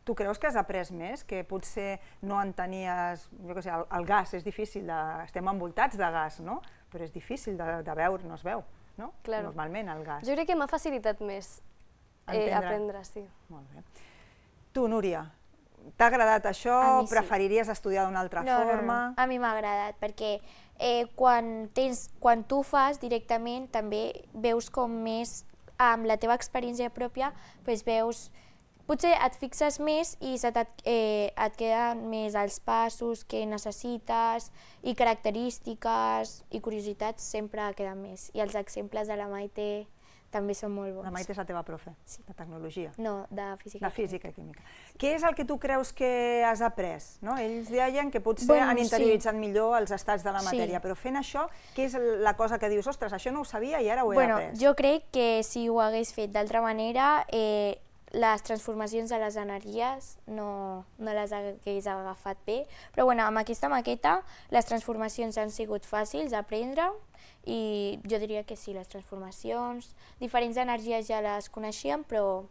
Tu creus que has après més? Que potser no entenies... Jo què sé, el, el gas és difícil, de, estem envoltats de gas, no? Però és difícil de, de veure, no es veu, no? Claro. Normalment, el gas. Jo crec que m'ha facilitat més eh, Entendre. aprendre, sí. Molt bé. Tu, Núria, t'ha agradat això? A mi sí. Preferiries estudiar d'una altra No, no, forma? no, a mi m'ha agradat perquè eh, quan, tens, quan tu fas directament també veus com més, amb la teva experiència pròpia, doncs veus, potser et fixes més i se eh, et queden més els passos que necessites i característiques i curiositats sempre queden més. I els exemples de la Maite també són molt bons. La Maite és la teva profe, sí. De tecnologia. No, de física de física i química. Què és el que tu creus que has après? No? Ells deien que potser Bueno, han interioritzat sí. millor els estats de la Sí. matèria, però fent això, què és la cosa que dius, ostres, això no ho sabia i ara ho he bueno, après? Jo crec que si ho hagués fet d'altra manera, eh, les transformacions de les energies no, no les hagués agafat bé, però bueno, amb aquesta maqueta les transformacions han sigut fàcils d'aprendre i jo diria que sí, les transformacions, diferents energies ja les coneixíem, però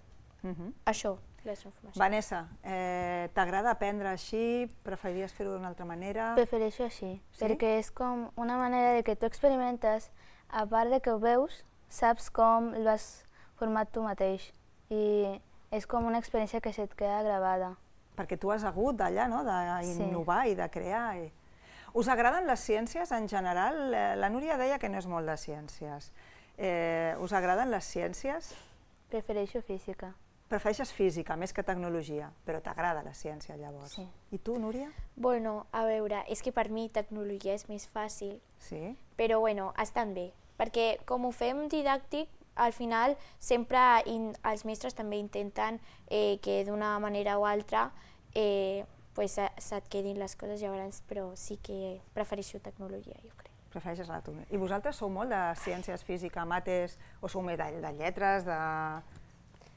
uh -huh. això, les transformacions. Vanessa, eh, t'agrada aprendre així? Preferiries fer-ho d'una altra manera? Prefereixo així, Sí? perquè és com una manera de que tu experimentes, a part de que ho veus, saps com l'ho has format tu mateix i és com una experiència que se't queda gravada. Perquè tu has hagut d'allà, no?, d'innovar sí. i de crear. I... Us agraden les ciències en general? La Núria deia que no és molt de ciències. Eh, us agraden les ciències? Prefereixo física. Prefereixes física més que tecnologia, però t'agrada la ciència llavors. Sí. I tu, Núria? Bueno, a veure, és que per mi tecnologia és més fàcil, Sí. però bueno, estan bé, perquè com ho fem didàctic, al final sempre in, els mestres també intenten eh, que d'una manera o altra eh, pues, se, se't quedin les coses, llavors, però sí que prefereixo tecnologia, jo crec. Prefereixes la tecnologia. I vosaltres sou molt de ciències, física, mates, o sou més de, de lletres, de...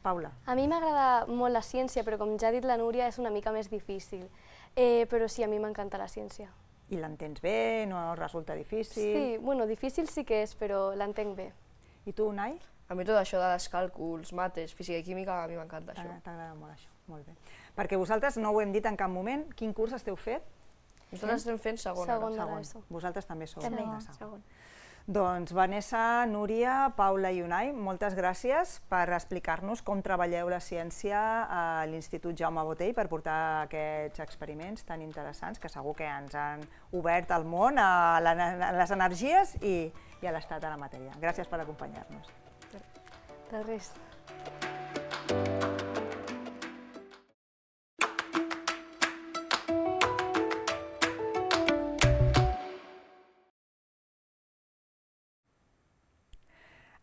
Paula? A mi m'agrada molt la ciència, però com ja ha dit la Núria, és una mica més difícil. Eh, però sí, a mi m'encanta la ciència. I l'entens bé? No resulta difícil? Sí, bueno, difícil sí que és, però l'entenc bé. I tu, Unai? A mi tot això dels càlculs, mates, física i química, a mi m'encanta això. T'agrada molt això, molt bé. Perquè vosaltres no ho hem dit en cap moment, quin curs esteu fet? Nosaltres estem fent segon. Segon ara. de l'ESO. Vosaltres també sou També, de segon. segon. Doncs Vanessa, Núria, Paula i Unai, moltes gràcies per explicar-nos com treballeu la ciència a l'Institut Jaume Botey per portar aquests experiments tan interessants que segur que ens han obert el món a les energies i, i a l'estat de la matèria. Gràcies per acompanyar-nos. De res.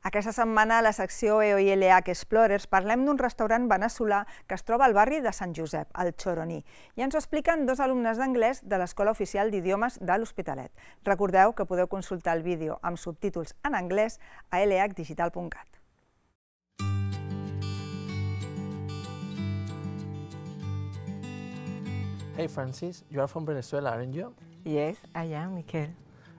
Aquesta setmana a la secció E O I L H Explorers parlem d'un restaurant veneçolà que es troba al barri de Sant Josep, el Choroní, i ens ho expliquen dos alumnes d'anglès de l'Escola Oficial d'Idiomes de l'Hospitalet. Recordeu que podeu consultar el vídeo amb subtítols en anglès a l h digital punt cat. Hey Francis, you are from Venezuela, aren't you? Yes, I am, Miquel.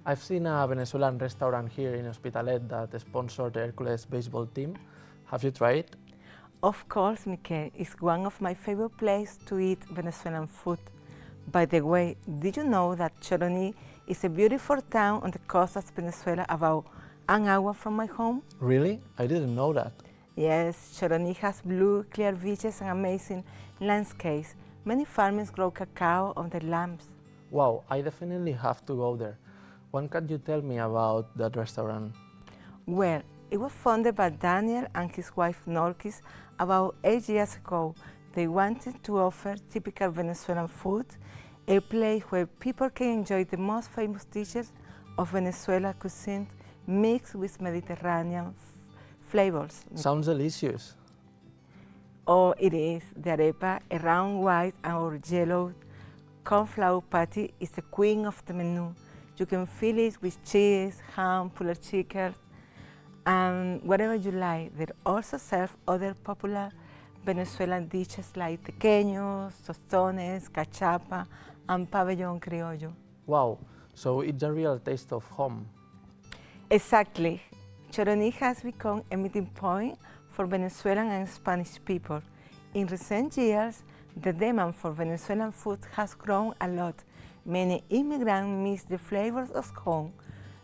I've seen a Venezuelan restaurant here in Hospitalet that sponsored the Hercules baseball team. Have you tried it? Of course, Miquel. It's one of my favorite places to eat Venezuelan food. By the way, did you know that Choroní is a beautiful town on the coast of Venezuela about an hour from my home? Really? I didn't know that. Yes, Choroní has blue, clear beaches and amazing landscapes. Many farmers grow cacao on their lands. Wow, I definitely have to go there. When can you tell me about that restaurant? Well, it was founded by Daniel and his wife Norquis about eight years ago. They wanted to offer typical Venezuelan food, a place where people can enjoy the most famous dishes of Venezuela cuisine mixed with Mediterranean flavors. Sounds delicious. Oh, it is. The arepa, a round white or yellow cornflour patty, is the queen of the menu. You can fill it with cheese, ham, pulled chicken, and whatever you like. They also serve other popular Venezuelan dishes like tequeños, tostones, cachapa, and pabellón criollo. Wow, so it's a real taste of home. Exactly. Choroní has become a meeting point for Venezuelan and Spanish people. In recent years, the demand for Venezuelan food has grown a lot. Many immigrants miss the flavors of home.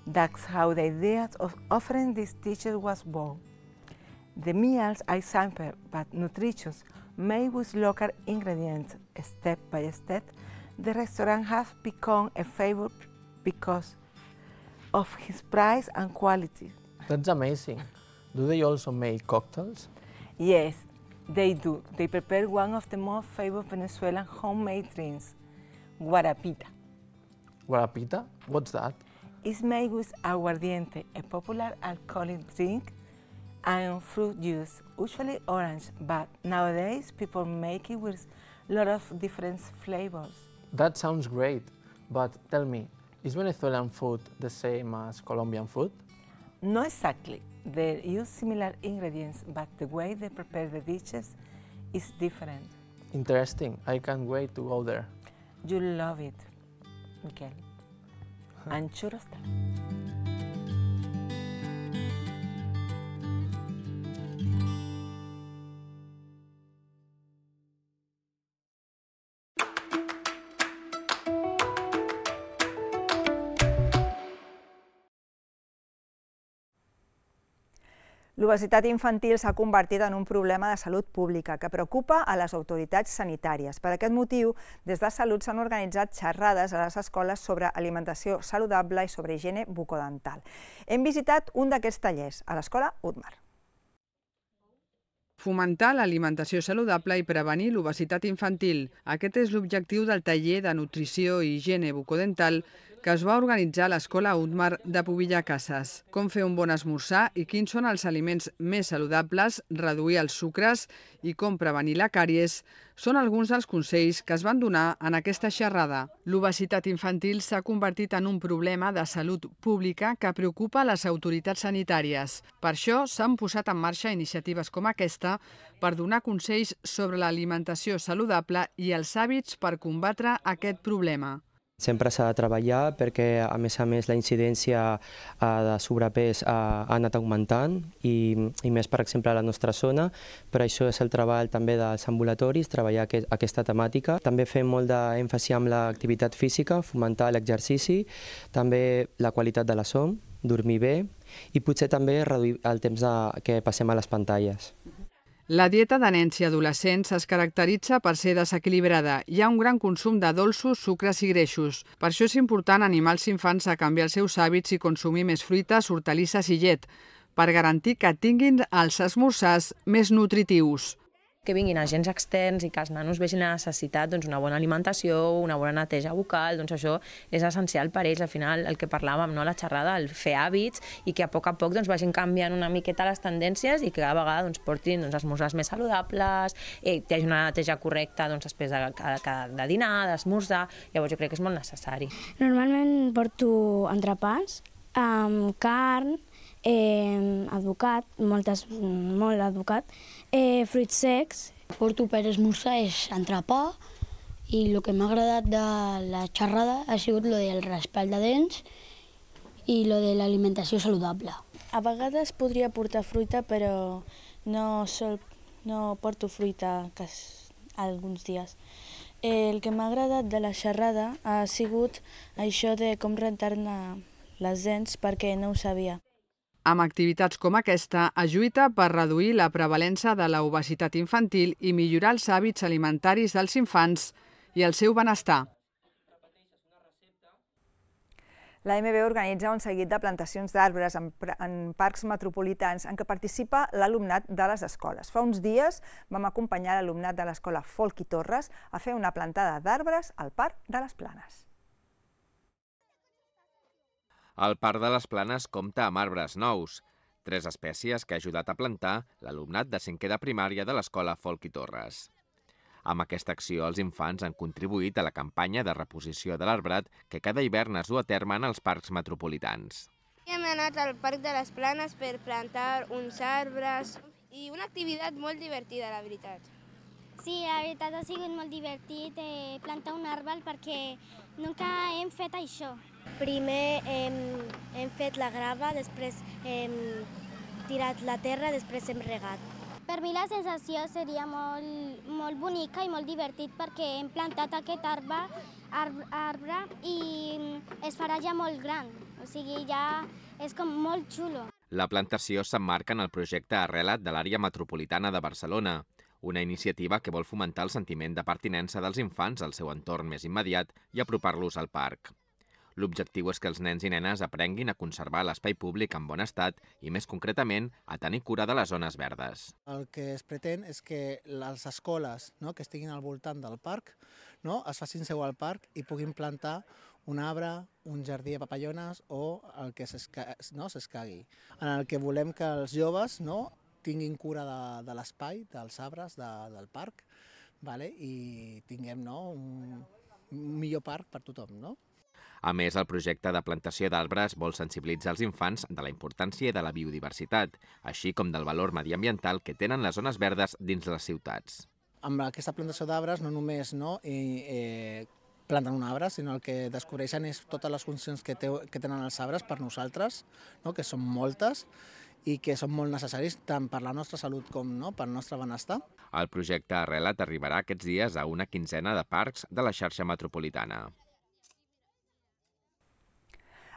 That's how the idea of offering these dishes was born. The meals are simple but nutritious, made with local ingredients. Step by step, the restaurant has become a favorite because of its price and quality. That's amazing. Do they also make cocktails? Yes, they do. They prepare one of the most favorite Venezuelan homemade drinks, guarapita. Guarapita? What's that? It's made with aguardiente, a popular alcoholic drink, and fruit juice, usually orange, but nowadays people make it with a lot of different flavors. That sounds great, but tell me, is Venezuelan food the same as Colombian food? Not exactly. They use similar ingredients, but the way they prepare the dishes is different. Interesting. I can't wait to go there. You'll love it, Miquel. And churros también. L'obesitat infantil s'ha convertit en un problema de salut pública que preocupa a les autoritats sanitàries. Per aquest motiu, des de Salut s'han organitzat xerrades a les escoles sobre alimentació saludable i sobre higiene bucodental. Hem visitat un d'aquests tallers, a l'escola Utmar. Fomentar l'alimentació saludable i prevenir l'obesitat infantil. Aquest és l'objectiu del taller de nutrició i higiene bucodental que es va organitzar a l'escola Utmar de Pobilla Cases. Com fer un bon esmorzar i quins són els aliments més saludables, reduir els sucres i com prevenir la càries són alguns dels consells que es van donar en aquesta xerrada. L'obesitat infantil s'ha convertit en un problema de salut pública que preocupa les autoritats sanitàries. Per això s'han posat en marxa iniciatives com aquesta per donar consells sobre l'alimentació saludable i els hàbits per combatre aquest problema. Sempre s'ha de treballar perquè, a més a més, la incidència de sobrepès ha anat augmentant i, i més, per exemple, a la nostra zona. Per això és el treball també dels ambulatoris, treballar aquesta temàtica. També fem molt d'èmfasi amb l'activitat física, fomentar l'exercici, també la qualitat de la son, dormir bé i potser també reduir el temps que passem a les pantalles. La dieta de nens i adolescents es caracteritza per ser desequilibrada. Hi ha un gran consum de dolços, sucres i greixos. Per això és important animar els infants a canviar els seus hàbits i consumir més fruites, hortalisses i llet, per garantir que tinguin els esmorzars més nutritius. que vinguin agents externs i que els nanos vegin la necessitat d'una bona alimentació, una bona neteja bucal, doncs això és essencial per ells. Al final, el que parlàvem a la xerrada, el fer hàbits i que a poc a poc vagin canviant una miqueta les tendències i que cada vegada portin esmorzars més saludables, que hi hagi una neteja correcta després de dinar, d'esmorzar. Llavors jo crec que és molt necessari. Normalment porto entrepans amb carn, educat, molt educat, fruits secs. Porto per esmorzar és entrepà i el que m'ha agradat de la xerrada ha sigut lo del raspall de dents i lo de l'alimentació saludable. A vegades podria portar fruita, però no, sol, no porto fruita alguns dies. El que m'ha agradat de la xerrada ha sigut això de com rentar-ne les dents, perquè no ho sabia. Amb activitats com aquesta, es lluita per reduir la prevalença de l'obesitat infantil i millorar els hàbits alimentaris dels infants i el seu benestar. La M B organitza un seguit de plantacions d'arbres en parcs metropolitans en què participa l'alumnat de les escoles. Fa uns dies vam acompanyar l'alumnat de l'escola Folch i Torres a fer una plantada d'arbres al Parc de les Planes. El Parc de les Planes compta amb arbres nous, tres espècies que ha ajudat a plantar l'alumnat de cinquè de primària de l'escola Folch i Torres. Amb aquesta acció, els infants han contribuït a la campanya de reposició de l'arbrat que cada hivern es du a terme en els parcs metropolitans. Hem anat al Parc de les Planes per plantar uns arbres i una activitat molt divertida, la veritat. Sí, la veritat ha sigut molt divertit eh, plantar un arbre perquè nunca hem fet això. Primer hem, hem fet la grava, després hem tirat la terra, després hem regat. Per mi la sensació seria molt, molt bonica i molt divertit perquè hem plantat aquest arbre, arbre, arbre i es farà ja molt gran, o sigui, ja és com molt xulo. La plantació s'emmarca en el projecte Arrela't de l'àrea metropolitana de Barcelona, una iniciativa que vol fomentar el sentiment de pertinença dels infants al seu entorn més immediat i apropar-los al parc. L'objectiu és que els nens i nenes aprenguin a conservar l'espai públic en bon estat i, més concretament, a tenir cura de les zones verdes. El que es pretén és que les escoles no, que estiguin al voltant del parc no, es facin seu al parc i puguin plantar un arbre, un jardí de papallones o el que s'escagui. En el que volem que els joves no, tinguin cura de, de l'espai, dels arbres de, del parc, vale? I tinguem no, un, un millor parc per tothom. No? A més, el projecte de plantació d'arbres vol sensibilitzar els infants de la importància de la biodiversitat, així com del valor mediambiental que tenen les zones verdes dins les ciutats. Amb aquesta plantació d'arbres no només no, i, eh, planten un arbre, sinó el que descobreixen és totes les funcions que, té, que tenen els arbres per nosaltres, no, que són moltes, i que són molt necessaris tant per la nostra salut com no, per al nostre benestar. El projecte Arrela't arribarà aquests dies a una quinzena de parcs de la xarxa metropolitana.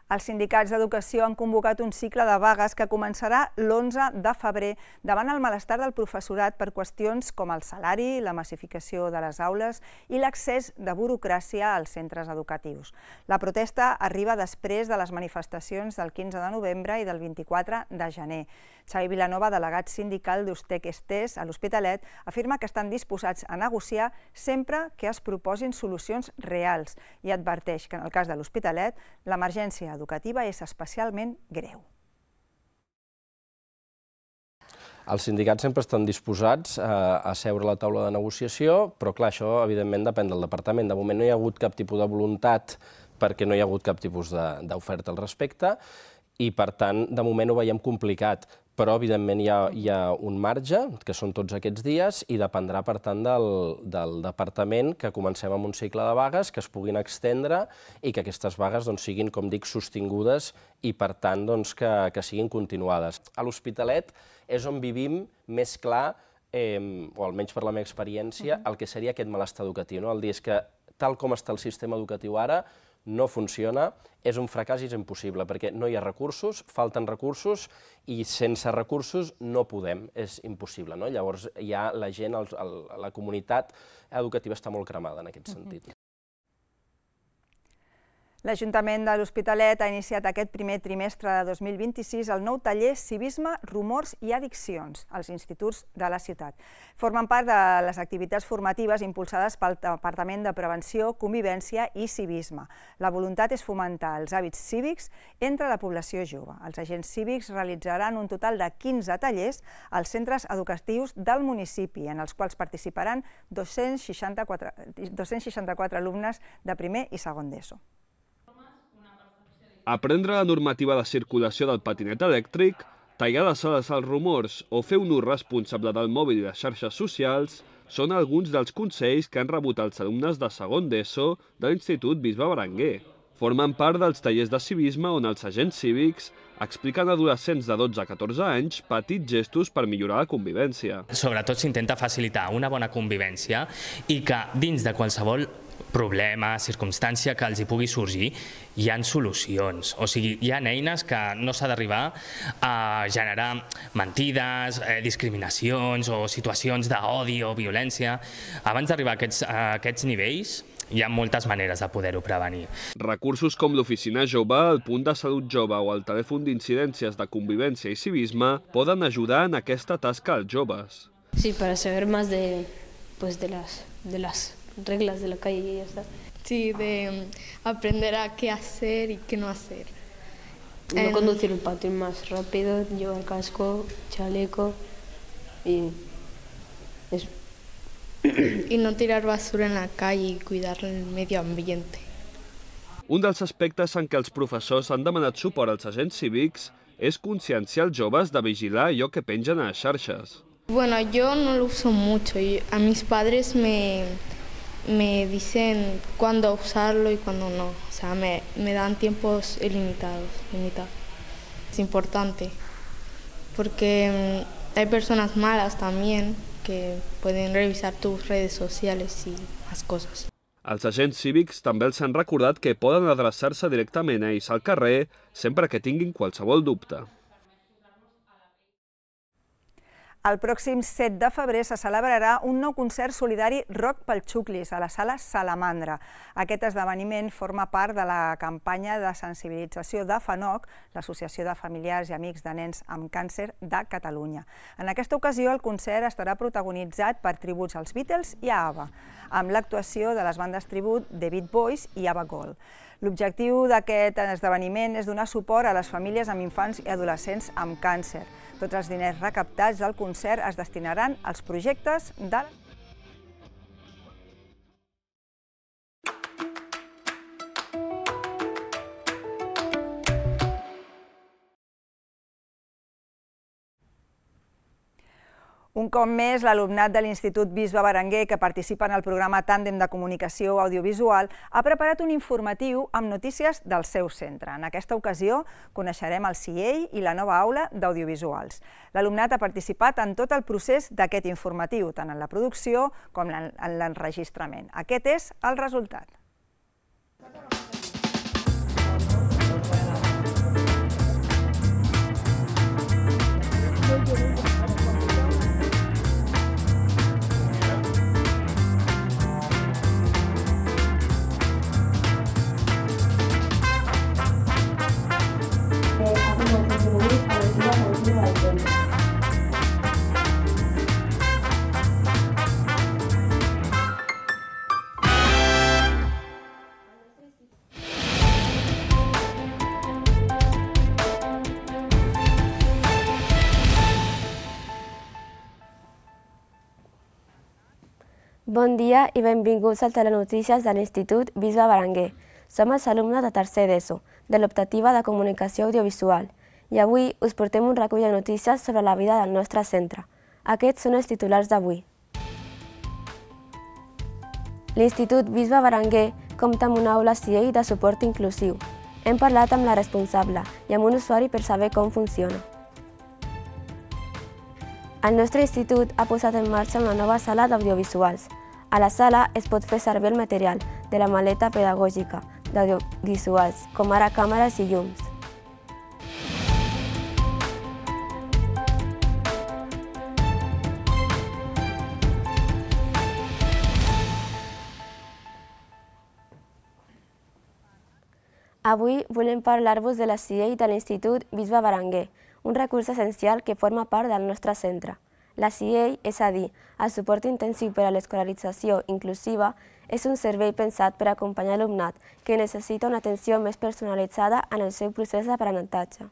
Els sindicats d'educació han convocat un cicle de vagues que començarà l'onze de febrer davant el malestar del professorat per qüestions com el salari, la massificació de les aules i l'accés de burocràcia als centres educatius. La protesta arriba després de les manifestacions del quinze de novembre i del vint-i-quatre de gener. Xavi Vilanova, delegat sindical d'Ustec Estés a l'Hospitalet, afirma que estan disposats a negociar sempre que es proposin solucions reals i adverteix que en el cas de l'Hospitalet l'emergència educativa és especialment greu. Els sindicats sempre estan disposats a seure a la taula de negociació, però clar, això evidentment depèn del departament. De moment no hi ha hagut cap tipus de voluntat perquè no hi ha hagut cap tipus d'oferta al respecte i per tant de moment ho veiem complicat. Però evidentment hi ha, hi ha un marge, que són tots aquests dies, i dependrà per tant del, del departament que comencem amb un cicle de vagues, que es puguin extendre i que aquestes vagues doncs, siguin, com dic, sostingudes i per tant doncs, que, que siguin continuades. A l'Hospitalet és on vivim més clar, eh, o almenys per la meva experiència, el que seria aquest malestar educatiu. No? El dir és que tal com està el sistema educatiu ara, no funciona, és un fracàs i és impossible, perquè no hi ha recursos, falten recursos, i sense recursos no podem, és impossible. No? Llavors, ja la gent, el, el, la comunitat educativa està molt cremada en aquest sentit. L'Ajuntament de l'Hospitalet ha iniciat aquest primer trimestre de dos mil vint-i-sis el nou taller Civisme, Rumors i Addiccions als instituts de la ciutat. Formen part de les activitats formatives impulsades pel Departament de Prevenció, Convivència i Civisme. La voluntat és fomentar els hàbits cívics entre la població jove. Els agents cívics realitzaran un total de quinze tallers als centres educatius del municipi, en els quals participaran dos-cents seixanta-quatre alumnes de primer i segon d'ESO. Aprendre la normativa de circulació del patinet elèctric, tallar les ales als rumors o fer un ús responsable del mòbil i les xarxes socials són alguns dels consells que han rebut els alumnes de segon d'ESO de l'Institut Bisbe Berenguer. Formen part dels tallers de civisme on els agents cívics expliquen a adolescents de dotze a catorze anys petits gestos per millorar la convivència. Sobretot s'intenta facilitar una bona convivència i que dins de qualsevol problema, circumstància que els hi pugui sorgir, hi ha solucions. O sigui, hi ha eines que no s'ha d'arribar a generar mentides, eh, discriminacions o situacions d'odi o violència. Abans d'arribar a aquests, a aquests nivells, hi ha moltes maneres de poder-ho prevenir. Recursos com l'Oficina Jove, el Punt de Salut Jove o el Telèfon d'Incidències de Convivència i Civisme poden ajudar en aquesta tasca als joves. Sí, para saber más de, pues, de las, de las reglas de la calle y ya está. Sí, de aprender a qué hacer y qué no hacer. No en... conducir el patín más rápido, llevar casco, chaleco y eso. Y no tirar basura en la calle y cuidar el medio ambiente. Un dels aspectes en què els professors han demanat suport als agents cívics és conscienciar els joves de vigilar allò que pengen a les xarxes. Bueno, yo no lo uso mucho y a mis padres me, me dicen cuándo usarlo y cuándo no. O sea, me, me dan tiempos ilimitados, limitados. Es importante porque hay personas malas también que pueden revisar tus redes sociales y más cosas. Els agents cívics també els han recordat que poden adreçar-se directament a ells al carrer sempre que tinguin qualsevol dubte. El pròxim set de febrer se celebrarà un nou concert solidari Rock pel Xuclis a la sala Salamandra. Aquest esdeveniment forma part de la campanya de sensibilització de FANOC, l'Associació de Familiars i Amics de Nens amb Càncer de Catalunya. En aquesta ocasió el concert estarà protagonitzat per tributs als Beatles i a ABBA, amb l'actuació de les bandes tribut The Beat Boys i ABBA Gold. L'objectiu d'aquest esdeveniment és donar suport a les famílies amb infants i adolescents amb càncer. Tots els diners recaptats del concert es destinaran als projectes de... Un cop més, l'alumnat de l'Institut Bisbe Berenguer, que participa en el programa Tàndem de Comunicació Audiovisual, ha preparat un informatiu amb notícies del seu centre. En aquesta ocasió coneixerem el C I E I i la nova aula d'audiovisuals. L'alumnat ha participat en tot el procés d'aquest informatiu, tant en la producció com en l'enregistrament. Aquest és el resultat. Bon dia i benvinguts al Telenotícies de l'Institut Bisbe Berenguer. Som els alumnes de tercer d'ESO, de l'optativa de Comunicació Audiovisual, i avui us portem un recull de notícies sobre la vida del nostre centre. Aquests són els titulars d'avui. L'Institut Bisbe Berenguer compta amb una aula C I E I de suport inclusiu. Hem parlat amb la responsable i amb un usuari per saber com funciona. El nostre institut ha posat en marxa una nova sala d'audiovisuals. A la sala es pot fer servir el material de la maleta pedagògica d'audiovisuals, com ara càmeres i llums. Avui volem parlar-vos de la C I E I de l'Institut Bisbe Berenguer, un recurs essencial que forma part del nostre centre. La C I E I, és a dir, el suport intensiu per a l'escolarització inclusiva, és un servei pensat per acompanyar l'alumnat que necessita una atenció més personalitzada en el seu procés d'aprenentatge.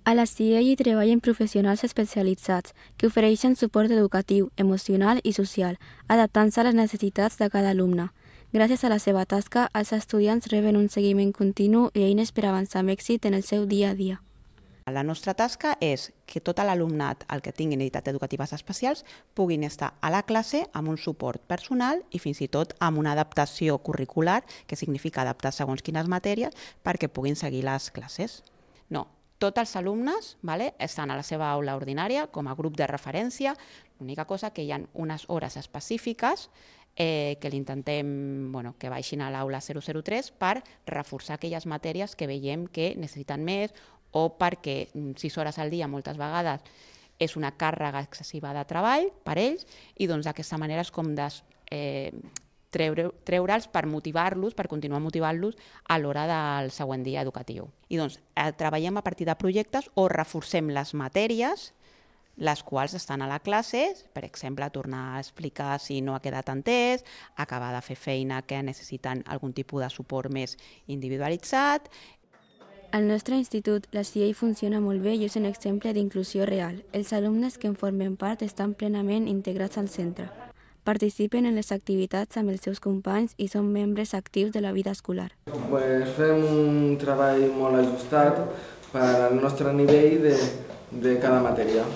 A la C I E I hi treballen professionals especialitzats que ofereixen suport educatiu, emocional i social, adaptant-se a les necessitats de cada alumne. Gràcies a la seva tasca, els estudiants reben un seguiment continu i eines per avançar amb èxit en el seu dia a dia. La nostra tasca és que tot l'alumnat, el que tinguin necessitats educatives especials, puguin estar a la classe amb un suport personal i fins i tot amb una adaptació curricular, que significa adaptar segons quines matèries, perquè puguin seguir les classes. No, tots els alumnes estan a la seva aula ordinària com a grup de referència, l'única cosa que hi ha unes hores específiques que l'intentem que baixin a l'aula zero zero tres per reforçar aquelles matèries que veiem que necessiten més o perquè sis hores al dia moltes vegades és una càrrega excessiva de treball per ells i d'aquesta manera és com treure'ls per motivar-los, per continuar motivant-los a l'hora del següent dia educatiu. I doncs treballem a partir de projectes o reforcem les matèries les quals estan a la classe, per exemple, tornar a explicar si no ha quedat entès, acabar de fer feina que necessiten algun tipus de suport més individualitzat. Al nostre institut, la C I E I funciona molt bé i és un exemple d'inclusió real. Els alumnes que en formen part estan plenament integrats al centre. Participen en les activitats amb els seus companys i són membres actius de la vida escolar. Pues fem un treball molt ajustat per al nostre nivell de, de cada matèria.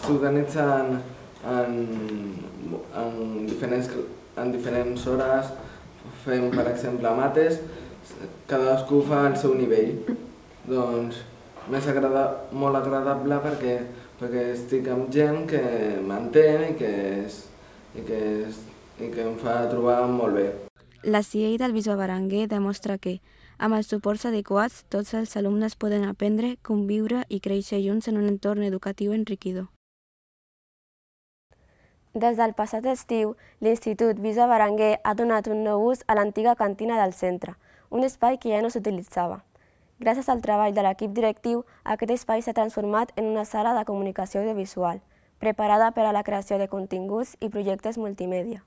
S'organitzen en, en, diferents, en diferents hores, fem per exemple mates, cadascú fa el seu nivell. Doncs m'és agrada, molt agradable perquè, perquè estic amb gent que m'entén i, que és, i, que és, i que em fa trobar molt bé. La C I E I del Bisbe Berenguer demostra que, amb els suports adequats, tots els alumnes poden aprendre, conviure i créixer junts en un entorn educatiu enriquidor. Des del passat estiu, l'Institut Bisbe Berenguer ha donat un nou ús a l'antiga cantina del centre, un espai que ja no s'utilitzava. Gràcies al treball de l'equip directiu, aquest espai s'ha transformat en una sala de comunicació audiovisual, preparada per a la creació de continguts i projectes multimèdia.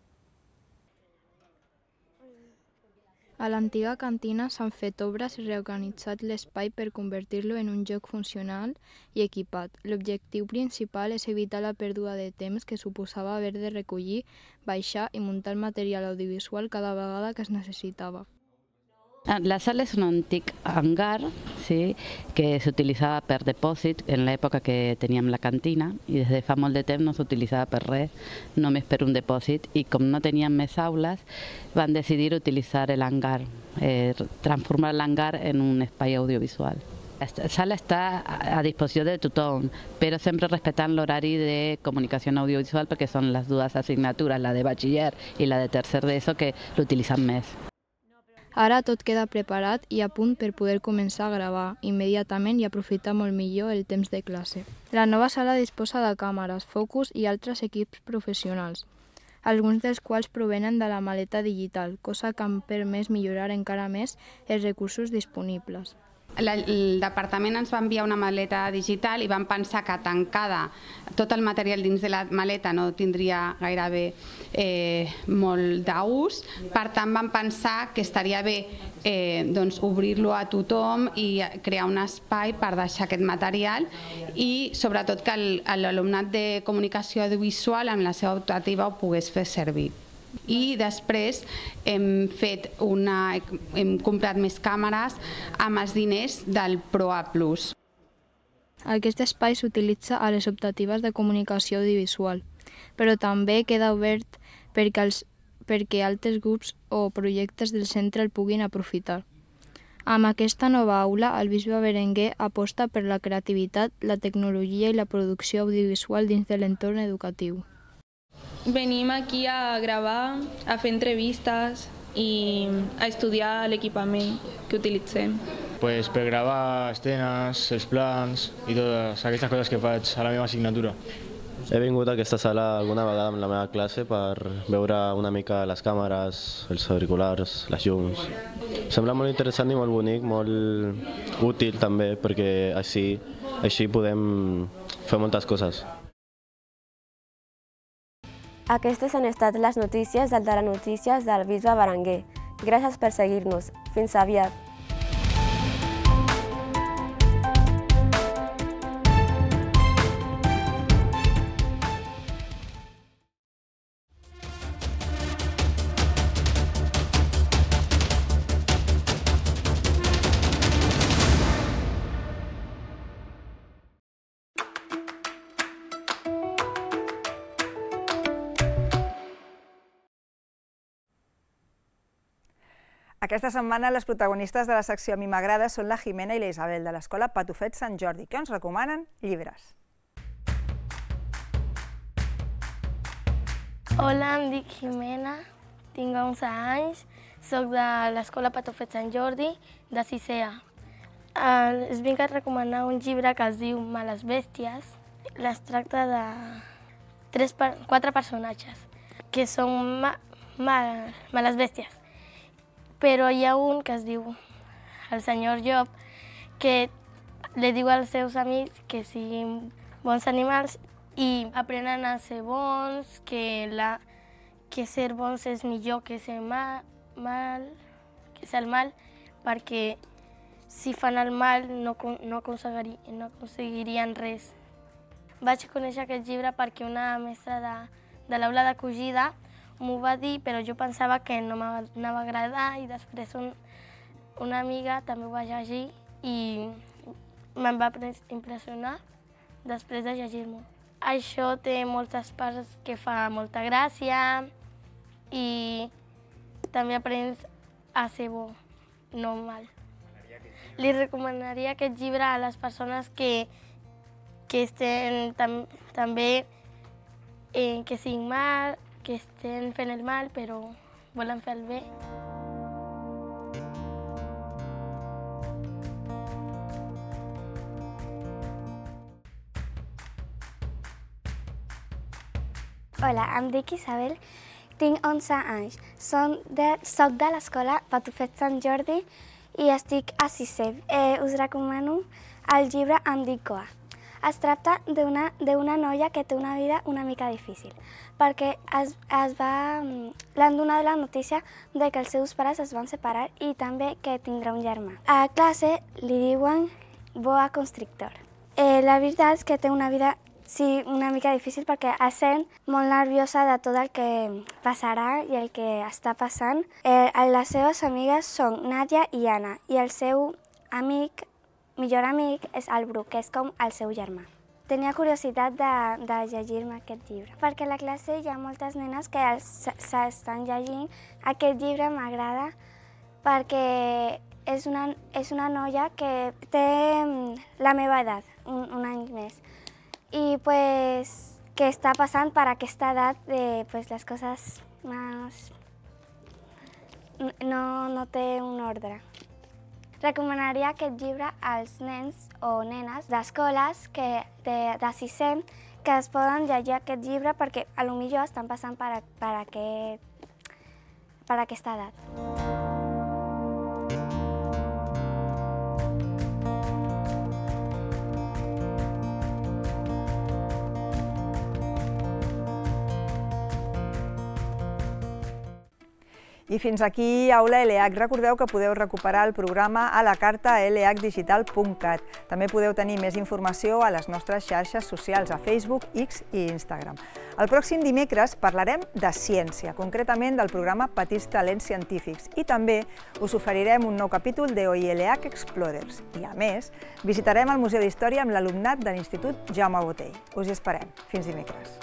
A l'antiga cantina s'han fet obres i reorganitzat l'espai per convertir-lo en un lloc funcional i equipat. L'objectiu principal és evitar la pèrdua de temps que suposava haver de recollir, baixar i muntar material audiovisual cada vegada que es necessitava. La sala és un antic hangar, sí, que s'utilitzava per depòsit en l'època que teníem la cantina i des de fa molt de temps no s'utilitzava per res, només per un depòsit, i com no teníem més aules van decidir utilitzar l'hangar, eh, transformar l'hangar en un espai audiovisual. La sala està a disposició de tothom, però sempre respectant l'horari de comunicació audiovisual perquè són les dues assignatures, la de batxiller i la de tercer d'ESO, que l'utilitzen més. Ara tot queda preparat i a punt per poder començar a gravar immediatament i aprofitar molt millor el temps de classe. La nova sala disposa de càmeres, focus i altres equips professionals, alguns dels quals provenen de la maleta digital, cosa que han permès millorar encara més els recursos disponibles. El departament ens va enviar una maleta digital i vam pensar que tancada tot el material dins de la maleta no tindria gairebé eh, molt d'ús. Per tant, vam pensar que estaria bé eh, doncs, obrir-lo a tothom i crear un espai per deixar aquest material i sobretot que l'alumnat de comunicació audiovisual amb la seva optativa ho pogués fer servir. I després hem fet una, hem comprat més càmeres amb els diners del ProA Plus. Aquest espai s'utilitza a les optatives de comunicació audiovisual, però també queda obert perquè, els, perquè altres grups o projectes del centre el puguin aprofitar. Amb aquesta nova aula, el Bisbe Berenguer aposta per la creativitat, la tecnologia i la producció audiovisual dins de l'entorn educatiu. Venim aquí a gravar, a fer entrevistes i a estudiar l'equipament que utilitzem. Pues per gravar escenes, els plans i totes aquestes coses que faig a la meva assignatura. He vingut a aquesta sala alguna vegada amb la meva classe per veure una mica les càmeres, els auriculars, les llums. Sembla molt interessant i molt bonic, molt útil també, perquè així, així podem fer moltes coses. Aquestes han estat les notícies del Telenotícies del Bisbe Berenguer. Gràcies per seguir-nos. Fins aviat. Aquesta setmana les protagonistes de la secció A mi m'agrada són la Jimena i la Isabel de l'escola Patufet Sant Jordi, que ens recomanen llibres. Hola, em dic Jimena, tinc onze anys, soc de l'escola Patufet Sant Jordi, de sisè A. Es vinc a recomanar un llibre que es diu Males bèsties. Es tracta de tres, quatre personatges que són ma, ma, males bèsties. Però hi ha un que es diu el senyor Job, que li diu als seus amics que siguin bons animals i aprenen a ser bons, que, la, que ser bons és millor que ser mal, mal, que ser el mal, perquè si fan el mal no, no, aconseguiri, no aconseguirien res. Vaig conèixer aquest llibre perquè una mestra de, de l'aula d'acollida m'ho va dir, però jo pensava que no m'anava a agradar i després un, una amiga també ho va llegir i me'n va impressionar després de llegir-m'ho. Això té moltes parts que fa molta gràcia i també aprens a ser bo, no mal. Li recomanaria aquest llibre a les persones que, que estan tam, també eh, que siguin mal, que estem fent el mal, però volen fer el bé. Hola, em dic Isabel, tinc onze anys. Soc de, soc de l'escola Patufet Sant Jordi i estic a sisè. Eh, us recomano el llibre Em dic Goa. Es tracta d'una noia que té una vida una mica difícil, perquè es, es va, l'han donat la notícia de que els seus pares es van separar i també que tindrà un germà. A classe li diuen boa constrictor. Eh, la veritat és que té una vida sí, una mica difícil perquè es sent molt nerviosa de tot el que passarà i el que està passant. Eh, les seves amigues són Nàdia i Anna i el seu amic millor amic és el Bru, que és com el seu germà. Tenia curiositat de, de llegir-me aquest llibre, perquè a la classe hi ha moltes nenes que s'estan llegint. Aquest llibre m'agrada perquè és una, és una noia que té la meva edat, un, un any més, i pues, que està passant per aquesta edat de pues, les coses més... No, no té un ordre. Recomanaria aquest llibre als nens o nenes d'escoles de, de sisè que es poden llegir aquest llibre perquè potser estan passant per, per, aquest, per aquesta edat. I fins aquí Aula L H. Recordeu que podeu recuperar el programa a la carta a l h digital punt cat. També podeu tenir més informació a les nostres xarxes socials, a Facebook, X i Instagram. El pròxim dimecres parlarem de ciència, concretament del programa Petits Talents Científics, i també us oferirem un nou capítol de O I L H Explorers. I a més, visitarem el Museu d'Història amb l'alumnat de l'Institut Jaume Botey. Us hi esperem. Fins dimecres.